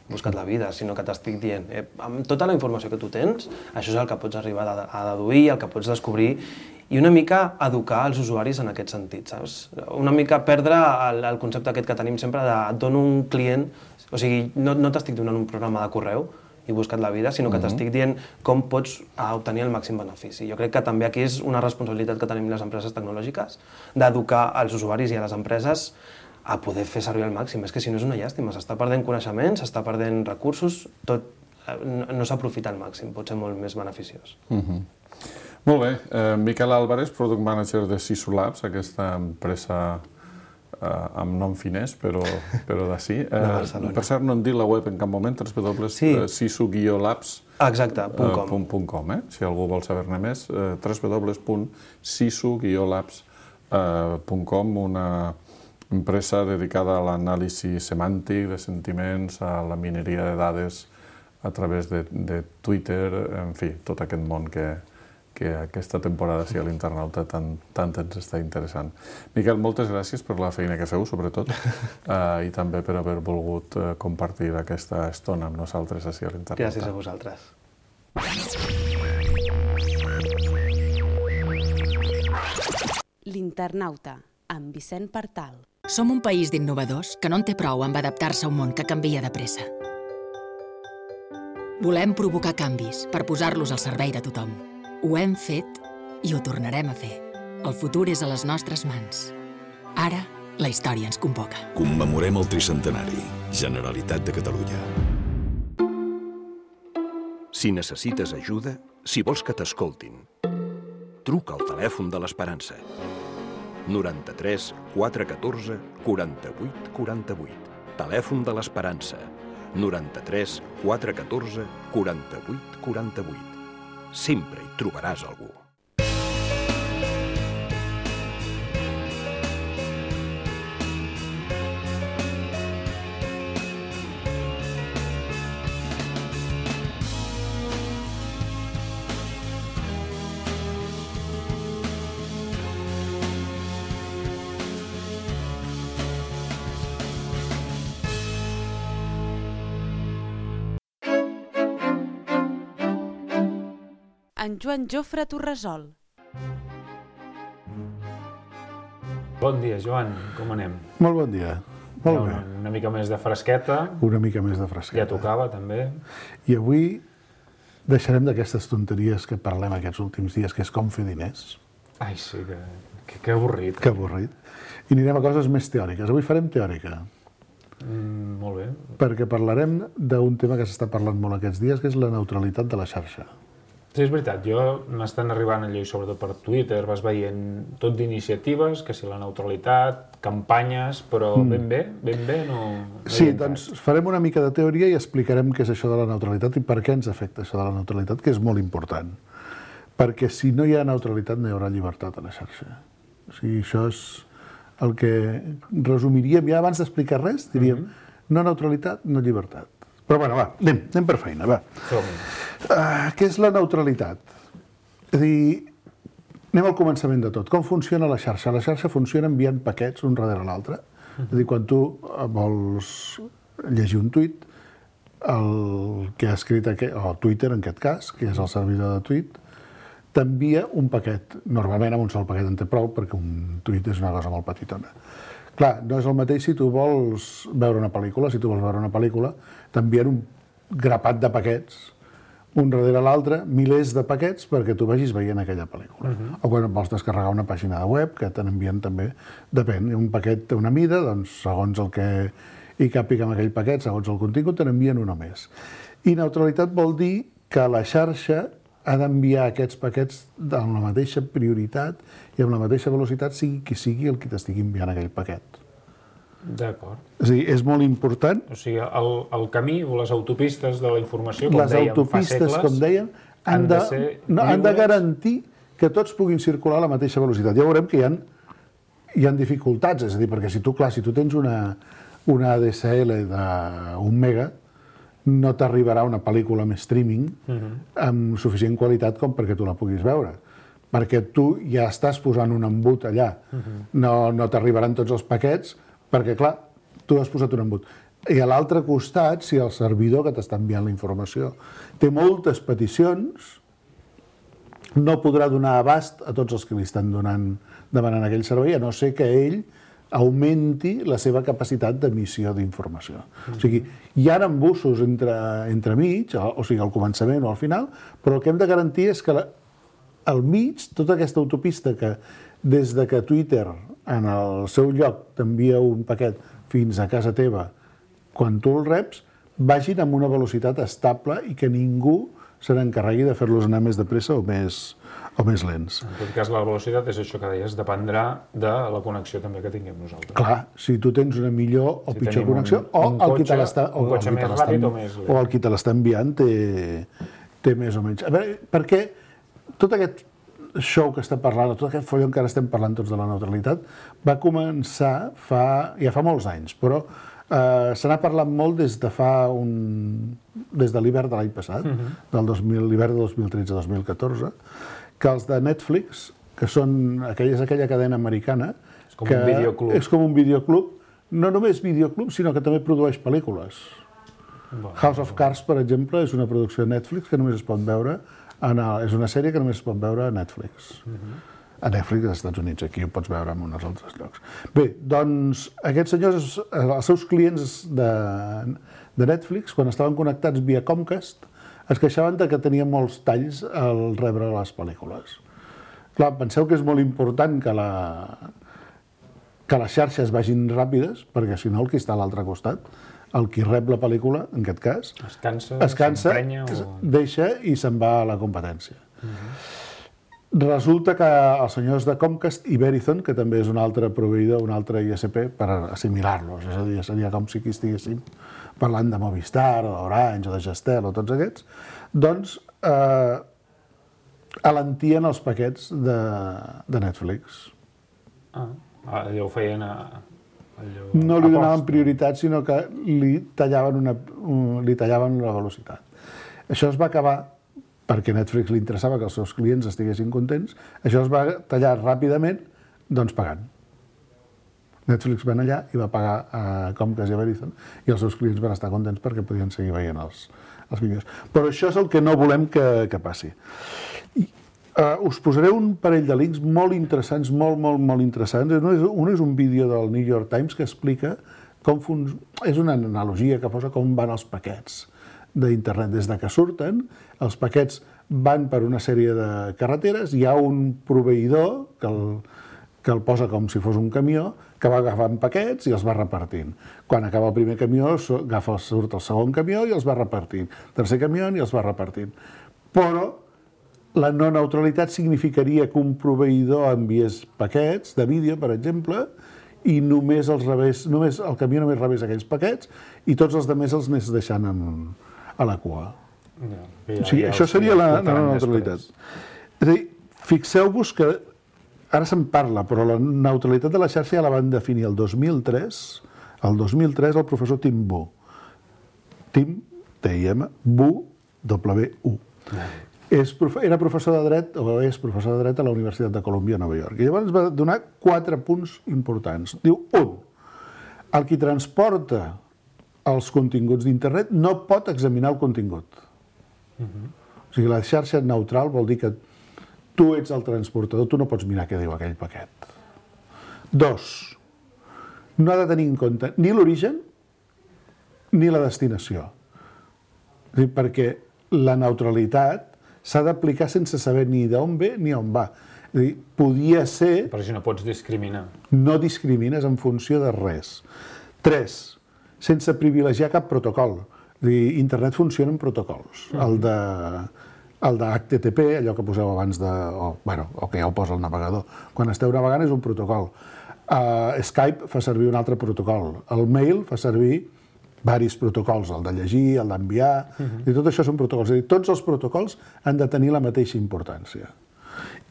busca't la vida, sinó que t'estic dient, eh, amb tota la informació que tu tens, això és el que pots arribar a, a deduir, el que pots descobrir, i una mica educar els usuaris en aquest sentit, saps? Una mica perdre el, el concepte aquest que tenim sempre de et dono un client, o sigui, no, no t'estic donant un programa de correu i busca't la vida, sinó que uh-huh. t'estic dient com pots obtenir el màxim benefici. Jo crec que també aquí és una responsabilitat que tenim les empreses tecnològiques d'educar als usuaris i a les empreses a poder fer servir al màxim. És que si no és una llàstima, s'està perdent coneixements, s'està perdent recursos, tot no, no s'aprofita al màxim, pot ser molt més beneficiós. Uh-huh. Molt bé. Eh, Miquel Álvarez, Product Manager de Sisu Labs, aquesta empresa eh, amb nom finès, però, però d'ací. Eh, per cert, no hem dit la web en cap moment, w w w punt sisu guió labs punt com. Eh? Si algú vol saber-ne més, eh, w w w punt sisu guió labs punt com, una empresa dedicada a l'anàlisi semàntic de sentiments, a la mineria de dades a través de, de Twitter, en fi, tot aquest món que, que aquesta temporada, sí, a l'Internauta tant, tant ens està interessant. Miquel, moltes gràcies per la feina que feu, sobretot, eh, i també per haver volgut eh, compartir aquesta estona amb nosaltres així a l'Internauta. Gràcies a vosaltres. L'Internauta, amb Vicent Partal. Som un país d'innovadors que no en té prou amb adaptar-se a un món que canvia de pressa. Volem provocar canvis per posar-los al servei de tothom. Ho hem fet i ho tornarem a fer. El futur és a les nostres mans. Ara, la història ens convoca. Commemorem el tricentenari. Generalitat de Catalunya. Si necessites ajuda, si vols que t'escoltin, truca al telèfon de l'Esperança. noranta-tres quatre catorze quaranta-vuit quaranta-vuit. Telèfon de l'Esperança. noranta-tres quatre catorze quaranta-vuit quaranta-vuit. Sempre hi trobaràs algú. En Joan Jofre Torresol. Bon dia, Joan. Com anem? Molt bon dia. Molt bé. Una, una mica més de fresqueta. Una mica més de fresqueta. Ja tocava, també. I avui deixarem d'aquestes tonteries que parlem aquests últims dies, que és com fer diners. Ai, sí, que, que, que avorrit. Que avorrit. I anirem a coses més teòriques. Avui farem teòrica. Mm, molt bé. Perquè parlarem d'un tema que s'està parlant molt aquests dies, que és la neutralitat de la xarxa. Sí, és veritat. Jo m'estan arribant allò, i sobretot per Twitter, vas veient tot d'iniciatives, que si la neutralitat, campanyes, però mm. ben bé, ben bé no... no sí, doncs farem una mica de teoria i explicarem què és això de la neutralitat i per què ens afecta això de la neutralitat, que és molt important. Perquè si no hi ha neutralitat no hi haurà llibertat a la xarxa. O sigui, això és el que resumiríem, ja abans d'explicar res, diríem mm-hmm. no neutralitat, no llibertat. Però bueno, va, anem, anem per feina, va. Uh, què és la neutralitat? És a dir, anem al començament de tot. Com funciona la xarxa? La xarxa funciona enviant paquets un darrere l'altre. És a dir, quan tu vols llegir un tuit, el que ha escrit, aquest, o Twitter en aquest cas, que és el servidor de tuit, t'envia un paquet. Normalment amb un sol paquet en té prou, perquè un tuit és una cosa molt petitona. Clar, no és el mateix si tu vols veure una pel·lícula. Si tu vols veure una pel·lícula, t'envien un grapat de paquets, un darrere l'altre, milers de paquets perquè tu vagis veient aquella pel·lícula. Uh-huh. O quan vols descarregar una pàgina de web, que te n'envien també, depèn, un paquet té una mida, doncs segons el que hi càpiga amb aquell paquet, segons el contingut, te n'envien una més. I neutralitat vol dir que la xarxa ha d'enviar aquests paquets amb la mateixa prioritat i amb la mateixa velocitat, sigui qui sigui el que t'estigui enviant aquell paquet. D'acord. És a dir, és molt important... O sigui, el, el camí o les autopistes de la informació, com les dèiem fa segles... Les autopistes, com deien, han, han, de, de ser no, han de garantir que tots puguin circular a la mateixa velocitat. Ja veurem que hi ha, hi ha dificultats, és a dir, perquè si tu, clar, si tu tens una, una A D S L d'un mega, no t'arribarà una pel·lícula amb streaming uh-huh. amb suficient qualitat com perquè tu la puguis veure. Perquè tu ja estàs posant un embut allà. Uh-huh. No, no t'arribaran tots els paquets perquè, clar, tu has posat un embut. I a l'altre costat, si el servidor que t'està enviant la informació té moltes peticions, no podrà donar abast a tots els que li estan donant, demanant aquell servei, a no ser que ell augmenti la seva capacitat d'emissió d'informació. O sigui, hi ha embussos entre, entre mig, o sigui, al començament o al final, però el que hem de garantir és que la, al mig, tota aquesta autopista que des de que Twitter en el seu lloc t'envia un paquet fins a casa teva, quan tu el reps, vagin amb una velocitat estable i que ningú se n'encarregui de fer-los anar més de pressa o més, o més lents. En tot cas, la velocitat és això que deies, dependrà de la connexió també que tinguem nosaltres. Clar, si tu tens una millor o si pitjor connexió, un, o un el cotxe, qui te l'està un cotxe més ràpid o més lent. O el qui te l'està enviant té, té més o menys. A veure, perquè tot aquest show que estem parlant, tot aquest follon que ara estem parlant tots de la neutralitat, va començar fa, ja fa molts anys, però Uh, se n'ha parlat molt des de fa un... des de l'hivern de l'any passat, uh-huh. del dos mil, l'hivern de dos mil tretze dos mil catorze, que els de Netflix, que són aquella, és aquella cadena americana... És com que un videoclub. És com un videoclub, no només videoclub, sinó que també produeix pel·lícules. Bueno, House of Cards, per exemple, és una producció de Netflix que només es pot veure, en el, és una sèrie que només es pot veure a Netflix. Uh-huh. A Netflix als Estats Units, aquí ho pots veure en uns altres llocs. Bé, doncs aquests senyors, els seus clients de, de Netflix, quan estaven connectats via Comcast, es queixaven de que tenien molts talls al rebre les pel·lícules. Clar, penseu que és molt important que, la, que les xarxes vagin ràpides, perquè si no el que està a l'altre costat, el qui rep la pel·lícula, en aquest cas, es cansa, es cansa o... deixa i se'n va a la competència. Uh-huh. Resulta que els senyors de Comcast i Verizon, que també és un altre proveïdor, un altre I S P, per assimilar-los, és a dir, seria com si aquí estiguéssim parlant de Movistar, o d'Orange, o de Gestel, o tots aquests, doncs eh, alentien els paquets de, de Netflix. Ah, allò ho feien a... Allò... No li donaven prioritat, sinó que li tallaven, una, li tallaven la velocitat. Això es va acabar perquè a Netflix li interessava que els seus clients estiguessin contents, això es va tallar ràpidament, doncs pagant. Netflix va allà i va pagar a Comcast i a Verizon, i els seus clients van estar contents perquè podien seguir veient els, els vídeos. Però això és el que no volem que, que passi. I, uh, us posaré un parell de links molt interessants, molt, molt, molt interessants. Un és, un és un vídeo del New York Times que explica com fun... és una analogia que posa com van els paquets d'internet. Des de que surten, els paquets van per una sèrie de carreteres, hi ha un proveïdor que el, que el posa com si fos un camió, que va agafant paquets i els va repartint. Quan acaba el primer camió, agafa, surt el segon camió i els va repartint. Tercer camió i els va repartint. Però la no neutralitat significaria que un proveïdor enviés paquets de vídeo, per exemple, i només, els rebés, només el camió només rebés aquells paquets i tots els altres els anés deixant en, a la cua. Ja, ja, o sigui, ja això seria la, la neutralitat. És a dir, fixeu-vos que ara se'n parla, però la neutralitat de la xarxa ja la van definir el dos mil tres, el dos mil tres el professor Tim Wu. Tim, T I M, Wu, W U. És, era professor de dret, o és professor de dret a la Universitat de Colúmbia a Nova York. I llavors va donar quatre punts importants. Diu, un, el qui transporta els continguts d'internet no pot examinar el contingut. Uh-huh. O sigui, la xarxa neutral vol dir que tu ets el transportador, tu no pots mirar què diu aquell paquet. Dos, no ha de tenir en compte ni l'origen ni la destinació. És a dir, perquè la neutralitat s'ha d'aplicar sense saber ni d'on ve ni on va. És a dir, podia ser... Però si no pots discriminar. No discrimines en funció de res. Tres, sense privilegiar cap protocol. És a dir, internet funciona en protocols. Mm. El de... el de H T T P, allò que poseu abans de... O, bueno, o que ja ho posa el navegador. Quan esteu navegant és un protocol. Uh, Skype fa servir un altre protocol. El mail fa servir varis protocols, el de llegir, el d'enviar... Uh-huh. I tot això són protocols. És a dir, tots els protocols han de tenir la mateixa importància.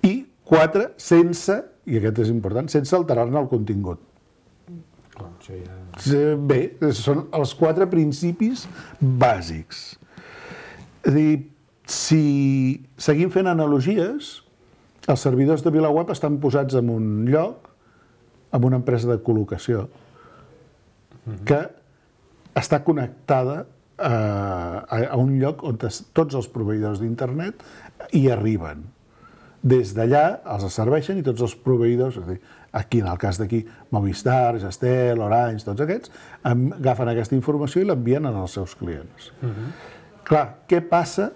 I quatre, sense, i aquest és important, sense alterar-ne el contingut. Clar, això ja... Bé, són els quatre principis bàsics. És a dir, si seguim fent analogies, els servidors de VilaWeb estan posats en un lloc, en una empresa de col·locació, que està connectada a, a un lloc on tots els proveïdors d'internet hi arriben. Des d'allà els serveixen i tots els proveïdors, és a dir, aquí en el cas d'aquí, Movistar, Gestel, Orange, tots aquests, agafen aquesta informació i l'envien als seus clients. Uh-huh. Clar, què passa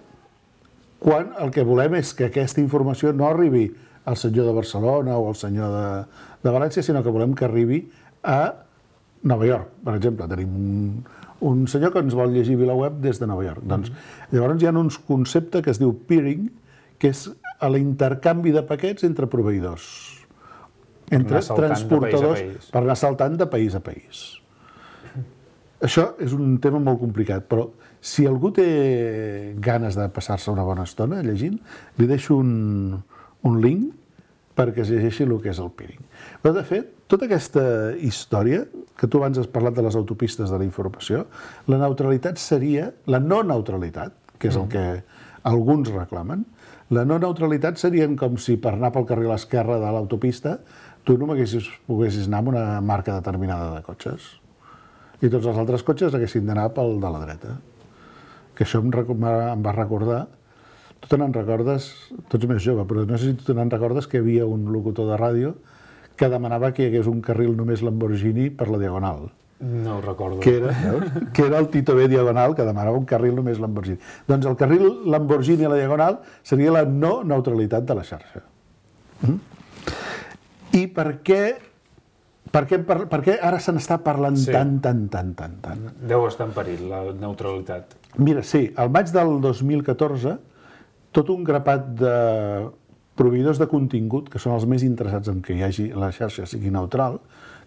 quan el que volem és que aquesta informació no arribi al senyor de Barcelona o al senyor de, de València, sinó que volem que arribi a Nova York, per exemple. Tenim un, un senyor que ens vol llegir VilaWeb des de Nova York. Mm-hmm. Doncs, llavors hi ha uns conceptes que es diu peering, que és l'intercanvi de paquets entre proveïdors, entre transportadors, per anar saltant de país a país. Això és un tema molt complicat, però si algú té ganes de passar-se una bona estona llegint, li deixo un, un link perquè es llegeixi el que és el peering. Però, de fet, tota aquesta història, que tu abans has parlat de les autopistes de la informació, la neutralitat seria, la no neutralitat, que és el que alguns reclamen, la no neutralitat serien com si per anar pel carril a l'esquerra de l'autopista tu no poguessis anar amb una marca determinada de cotxes i tots els altres cotxes haguessin d'anar pel de la dreta. Que això em, em va recordar, tu te n'en recordes, tu ets més jove, però no sé si tu te n'en recordes que hi havia un locutor de ràdio que demanava que hi hagués un carril només Lamborghini per la Diagonal. No ho recordo. Que era, que era el Tito B Diagonal, que demanava un carril només Lamborghini. Doncs el carril Lamborghini a la Diagonal seria la no neutralitat de la xarxa. Mm? I per què, per què, per, per què ara se n'està parlant sí. tant, tant, tant, tant, tant? Deu estar en perill, la neutralitat. Mira, sí, al maig del dos mil catorze, tot un grapat de proveïdors de contingut, que són els més interessats en que hi hagi la xarxa sigui neutral,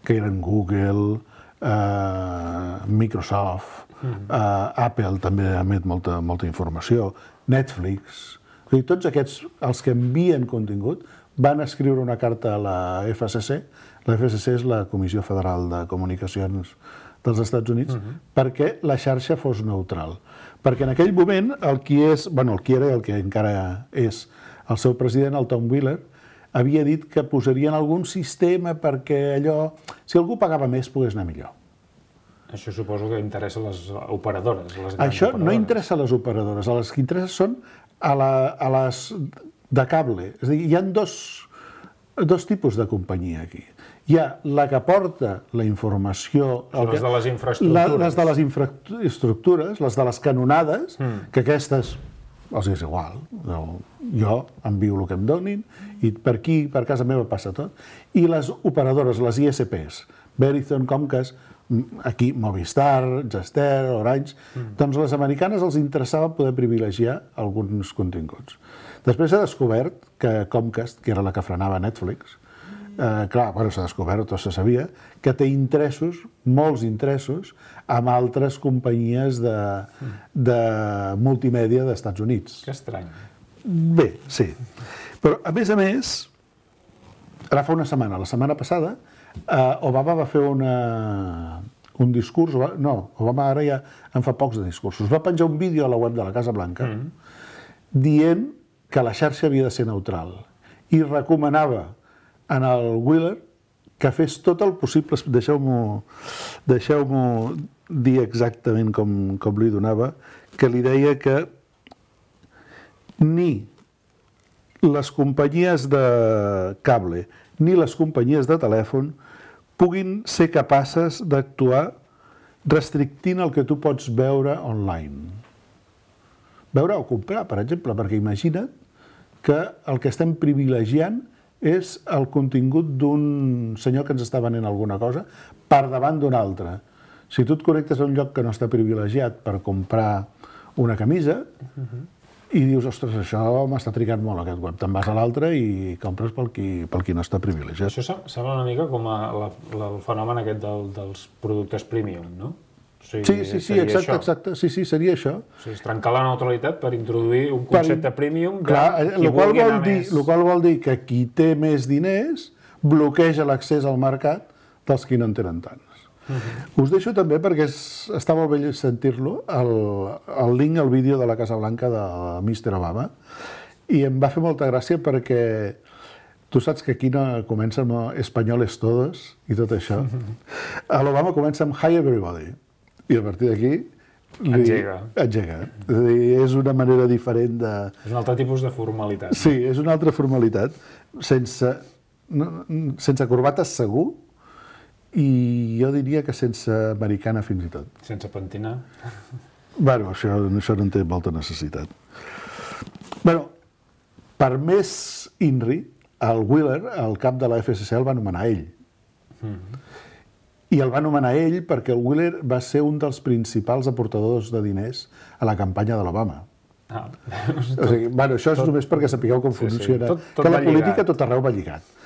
que eren Google, eh, Microsoft, mm-hmm. eh, Apple també emet molta, molta informació, Netflix, o sigui, tots aquests, els que envien contingut, van escriure una carta a la F C C, la F C C és la Comissió Federal de Comunicacions dels Estats Units, uh-huh. perquè la xarxa fos neutral. Perquè en aquell moment el qui és, bueno, el qui era i el que encara és el seu president, el Tom Wheeler, havia dit que posarien algun sistema perquè allò, si algú pagava més, pogués anar millor. Això suposo que interessa a les operadores. Les Això operadores. No interessa a les operadores, a les que interessa són a, la, a les de cable. És a dir, hi ha dos, dos tipus de companyia aquí. Hi ha la que porta la informació... Les de les infraestructures. Les de les infraestructures, les de les canonades, mm. que aquestes els és igual. No, jo envio el que em donin i per aquí, per casa meva, passa tot. I les operadores, les I S Ps, Verizon, Comcast, aquí Movistar, Gestel, Orange, mm. doncs a les americanes els interessava poder privilegiar alguns continguts. Després s'ha descobert que Comcast, que era la que frenava Netflix, eh, clar, bueno, s'ha descobert, tot se sabia, que té interessos, molts interessos, amb altres companyies de, de multimèdia dels Estats Units. Que estrany. Bé, sí. Però, a més a més, ara fa una setmana, la setmana passada, eh, Obama va fer una, un discurs, no, Obama ara ja en fa pocs de discursos, va penjar un vídeo a la web de la Casa Blanca mm. dient que la xarxa havia de ser neutral i recomanava en el Wheeler que fes tot el possible, deixeu-m'ho deixeu-m'ho dir exactament com, com li donava, que li deia que ni les companyies de cable ni les companyies de telèfon puguin ser capaces d'actuar restrictint el que tu pots veure online. Veure o comprar, per exemple, perquè imagina't que el que estem privilegiant és el contingut d'un senyor que ens està venent alguna cosa per davant d'un altre. Si tu et connectes a un lloc que no està privilegiat per comprar una camisa uh-huh. i dius, ostres, això m'està trigant molt aquest web, te'n vas a l'altre i compres pel qui, pel qui no està privilegiat. Això sembla una mica com a la, la, el fenomen aquest del, dels productes premium, no? O sigui, sí, sí, sí, exacte, exacte. Sí, sí, seria això. O sigui, és trencar la neutralitat per introduir un concepte per... premium de clar, qui vulgui anar dir, més... El qual vol dir que qui té més diners bloqueja l'accés al mercat dels qui no en tenen tants. Uh-huh. Us deixo també, perquè és, està molt bé sentir-lo, el, el link al vídeo de la Casa Blanca de mister Obama, i em va fer molta gràcia perquè tu saps que aquí no comença amb espanyoles todos i tot això. Uh-huh. L'Obama comença amb Hi Everybody. i a partir d'aquí li... Engega. Engega. És a dir, és una manera diferent de... És un altre tipus de formalitat. Sí, és una altra formalitat, sense, no, sense corbates segur, i jo diria que sense americana fins i tot. Sense pentinar. Bueno, això, això no en té molta necessitat. Bueno, per més INRI, el Wheeler, el cap de la F S C, el va nomenar ell. Mm-hmm. I el va nomenar ell perquè el Wheeler va ser un dels principals aportadors de diners a la campanya de l'Obama. Ah, o sigui, bueno, això és tot, només perquè sapigueu com sí, funciona. Sí, tot, tot que la política lligat. tot arreu va lligat.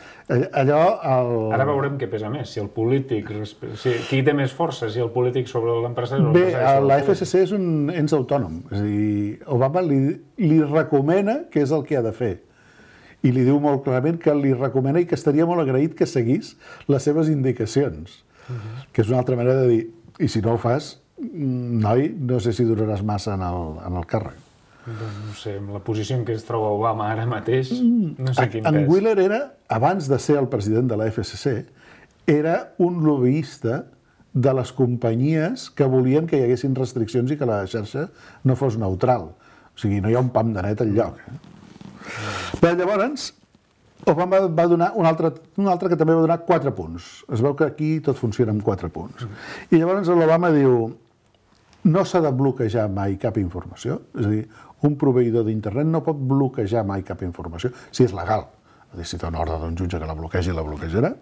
Allò... El... Ara veurem què pesa més, si el polític... Si, qui té més força, si el polític sobre l'empresari o Bé, l'empresari la F S C és un ens autònom. És a dir, Obama li, li recomana què és el que ha de fer. I li diu molt clarament que li recomana i que estaria molt agraït que seguís les seves indicacions. Uh-huh. Que és una altra manera de dir, i si no ho fas, noi, no sé si duraràs massa en el, en el càrrec. Doncs no sé, amb la posició en què es troba Obama ara mateix, no sé quin en pes. Wheeler era, abans de ser el president de la F S C, era un lobbyista de les companyies que volien que hi haguessin restriccions i que la xarxa no fos neutral. O sigui, no hi ha un pam de net enlloc. Eh? Però llavors, Obama va donar un altre, un altre que també va donar quatre punts. Es veu que aquí tot funciona amb quatre punts. I llavors l'Obama diu, no s'ha de bloquejar mai cap informació, és a dir, un proveïdor d'internet no pot bloquejar mai cap informació, si és legal. És a dir, si té una ordre d'un jutge que la bloquegi, la bloquejarà.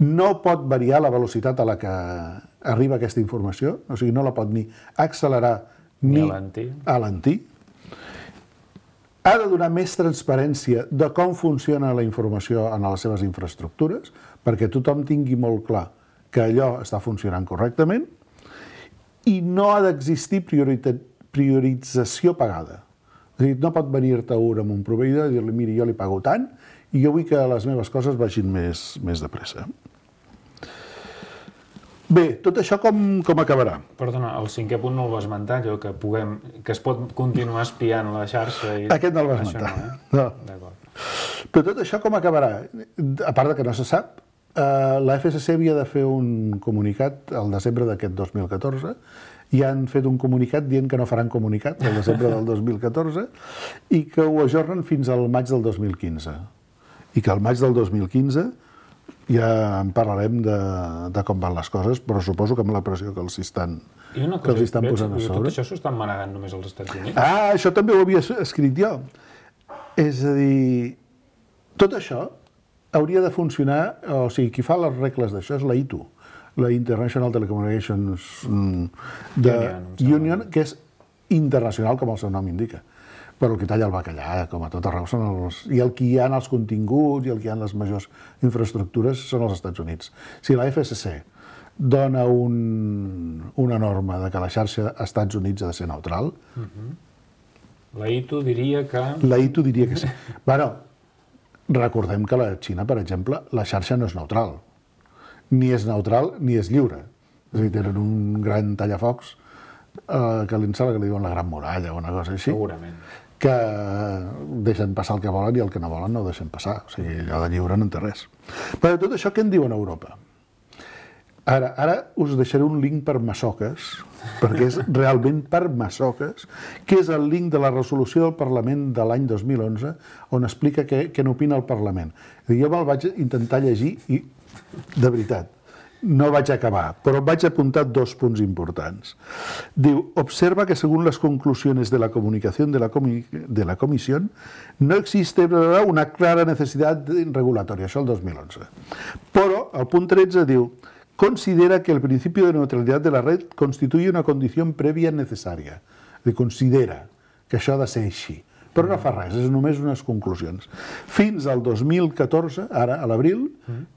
No pot variar la velocitat a la que arriba aquesta informació, o sigui, no la pot ni accelerar ni, ni alentir. Ha de donar més transparència de com funciona la informació en les seves infraestructures, perquè tothom tingui molt clar que allò està funcionant correctament, i no ha d'existir priorització pagada. És a dir, no pot venir-te un amb un proveïdor i dir-li, miri, jo li pago tant i jo vull que les meves coses vagin més, més de pressa. Bé, tot això com, com acabarà? Perdona, el cinquè punt no el va esmentar, allò que, puguem, que es pot continuar espiant la xarxa. I... Aquest no el va esmentar. No, eh? no. Però tot això com acabarà? A part de que no se sap, eh, la F S C havia de fer un comunicat al desembre d'aquest dos mil catorze, i han fet un comunicat dient que no faran comunicat al desembre del dos mil catorze i que ho ajornen fins al maig del dos mil quinze. I que al maig del dos mil quinze ja en parlarem de, de com van les coses, però suposo que amb la pressió que els estan, que els estan posant a sobre. Tot això s'ho estan manegant només als Estats Units? Ah, això també ho havia escrit jo. És a dir, tot això hauria de funcionar, o sigui, qui fa les regles d'això és la I T U, la International Telecommunications de Union, que és internacional, com el seu nom indica. Però el que talla el bacallà, com a tot arreu, són els... I el que hi ha els continguts i el que hi ha les majors infraestructures són els Estats Units. Si la F S C dona un, una norma de que la xarxa als Estats Units ha de ser neutral... Uh-huh. La I T U diria que... La I T U diria que sí. Bueno, recordem que la Xina, per exemple, la xarxa no és neutral. Ni és neutral ni és lliure. És a dir, tenen un gran tallafocs eh, que l'insala que li diuen la Gran Muralla o una cosa així. Segurament. Que deixen passar el que volen i el que no volen no ho deixen passar. O sigui, allò de lliure no en té res. Però de tot això, què en diuen a Europa? Ara, ara us deixaré un link per masoques, perquè és realment per masoques, que és el link de la resolució del Parlament de l'any dos mil onze, on explica què, què n'opina el Parlament. Jo me'l vaig intentar llegir i, de veritat, no vaig acabar, però vaig apuntar dos punts importants. Diu, observa que según las conclusiones de la comunicación de la, comi de la comisión, no existe una clara necesidad regulatoria, això el dos mil onze. Però, al punt tretze diu, considera que el principio de neutralidad de la red constituye una condición previa necesaria. És a dir, considera que això ha de ser així. Però no fa res, és només unes conclusions. Fins al dos mil catorze, ara, a l'abril,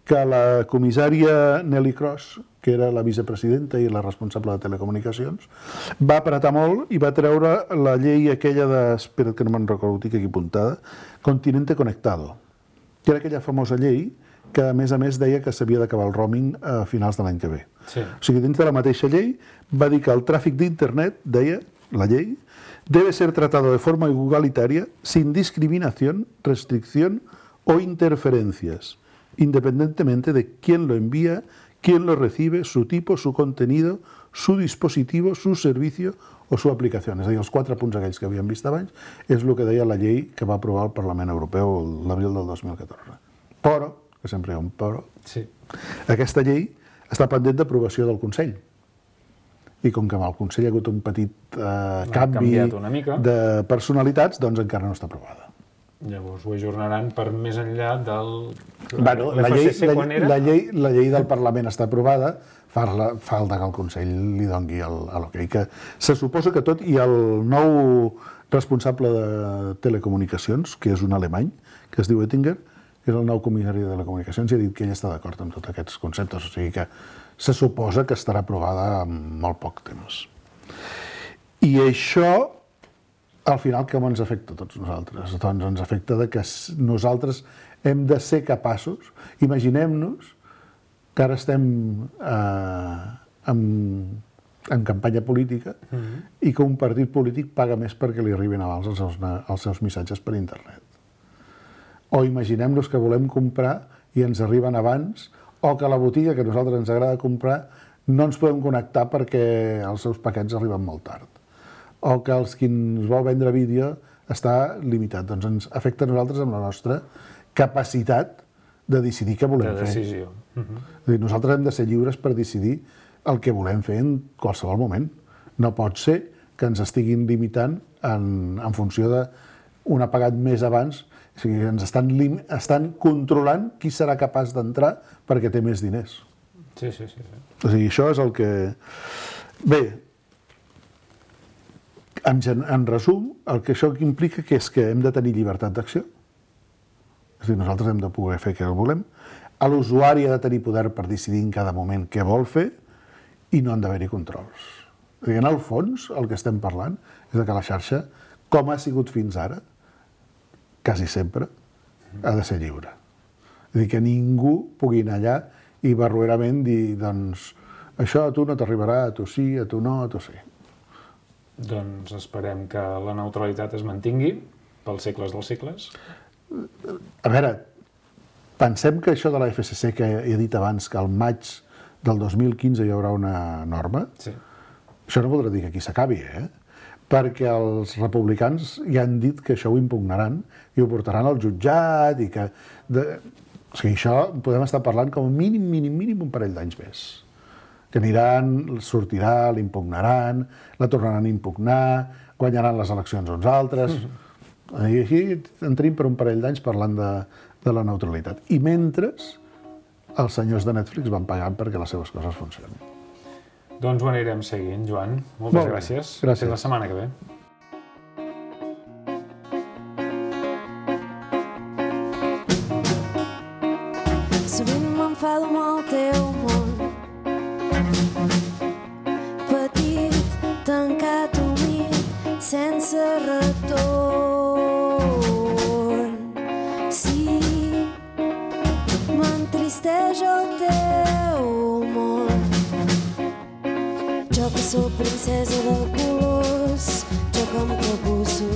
que la comissària Nelly Cross, que era la vicepresidenta i la responsable de telecomunicacions, va apretar molt i va treure la llei aquella de, espera que no me'n recordo, tinc aquí apuntada, Continente Conectado, que era aquella famosa llei que, a més a més, deia que s'havia d'acabar el roaming a finals de l'any que ve. Sí. O sigui, dins de la mateixa llei va dir que el tràfic d'internet, deia la llei, debe ser tratado de forma igualitaria, sin discriminación, restricción o interferencias, independientemente de quién lo envía, quién lo recibe, su tipo, su contenido, su dispositivo, su servicio o su aplicació. És a dir, els quatre punts aquells que havíem vist abans és el que deia la llei que va aprovar el Parlament Europeu l'abril del dos mil catorze. Però, que sempre hi ha un però, sí. Aquesta llei està pendent d'aprovació del Consell. I com que amb el Consell hi ha hagut un petit eh, canvi de personalitats, doncs encara no està aprovada. Llavors ho ajornaran per més enllà del... Bueno, la, llei, la, la, llei, la llei del Parlament està aprovada, falta que el Consell li doni l'hoquei. Que se suposa que tot, i el nou responsable de telecomunicacions, que és un alemany, que es diu Oettinger, que és el nou comissari de telecomunicacions, i ha dit que ell està d'acord amb tots aquests conceptes, o sigui que se suposa que estarà aprovada en molt poc temps. I això, al final, com ens afecta a tots nosaltres? Doncs ens afecta de que nosaltres hem de ser capaços, imaginem-nos que ara estem eh, en, en campanya política mm-hmm. i que un partit polític paga més perquè li arribin abans els seus, els seus missatges per internet. O imaginem-nos que volem comprar i ens arriben abans, o que a la botiga que a nosaltres ens agrada comprar no ens podem connectar perquè els seus paquets arriben molt tard. O que els qui ens vol vendre vídeo està limitat. Doncs ens afecta a nosaltres amb la nostra capacitat de decidir què volem fer. De decisió. Uh-huh. És a dir, nosaltres hem de ser lliures per decidir el que volem fer en qualsevol moment. No pot ser que ens estiguin limitant en, en funció d'un ha pagat més abans. O sigui, ens estan, lim, estan controlant qui serà capaç d'entrar perquè té més diners. Sí, sí, sí. sí. O sigui, això és el que... Bé, en, en resum, el que això implica que és que hem de tenir llibertat d'acció. És a dir, nosaltres hem de poder fer què volem. L'usuari ha de tenir poder per decidir en cada moment què vol fer i no han d'haver-hi controls. És a dir, en el fons, el que estem parlant és que la xarxa, com ha sigut fins ara, quasi sempre, ha de ser lliure. És a dir, que ningú pugui anar allà i barroerament dir, doncs, això a tu no t'arribarà, a tu sí, a tu no, a tu sí. Doncs esperem que la neutralitat es mantingui pels segles dels segles. A veure, pensem que això de la F C C, que he dit abans, que al maig del dos mil quinze hi haurà una norma, sí. Això no voldrà dir que aquí s'acabi, eh? Perquè els republicans ja han dit que això ho impugnaran i ho portaran al jutjat i que... De... O sigui, això podem estar parlant com a mínim, mínim, mínim un parell d'anys més. Que aniran, sortirà, l'impugnaran, la tornaran a impugnar, guanyaran les eleccions uns altres... Mm-hmm. I així en tenim per un parell d'anys parlant de, de la neutralitat. I mentre els senyors de Netflix van pagant perquè les seves coses funcionin. Doncs ho anirem seguint, Joan. Moltes Molt gràcies. Gràcies. Fins la setmana que ve. Sovint m'enfado amb el teu món, petit, tancat, humit, sense retorn. Sí, m'entristeix el teu món. Jo que sóc princesa de colors, jo que em capusso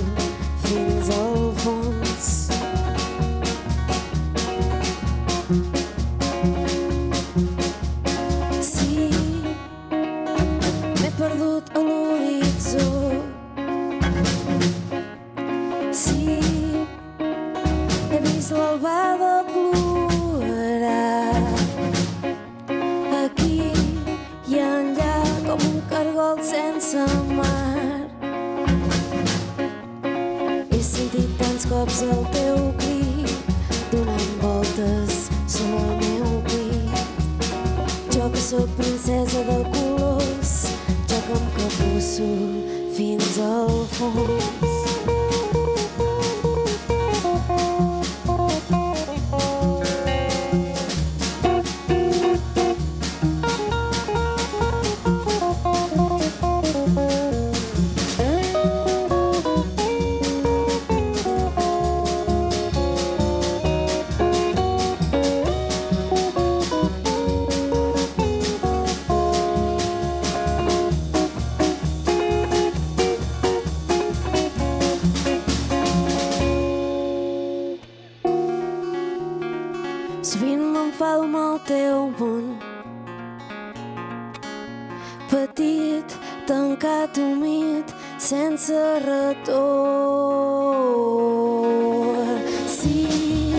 fins al fons. Sí, m'he perdut a l'horitzó. Sí, he vist l'albada plorar. Aquí i enllà com un cargol sense mar. He sentit tants cops el teu crit, donant voltes sobre el meu pit. Jo que sóc princesa de colors, jo que em capusso fins al fons. Sovint m'enfado amb el teu món, petit, tancat, humit, sense retorn. Sí,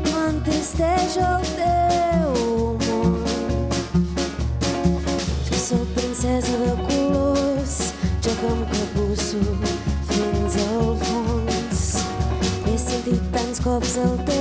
m'entristeix el teu món. Jo soc princesa de colors, jo que em capusso fins al fons. He sentit tants cops el teu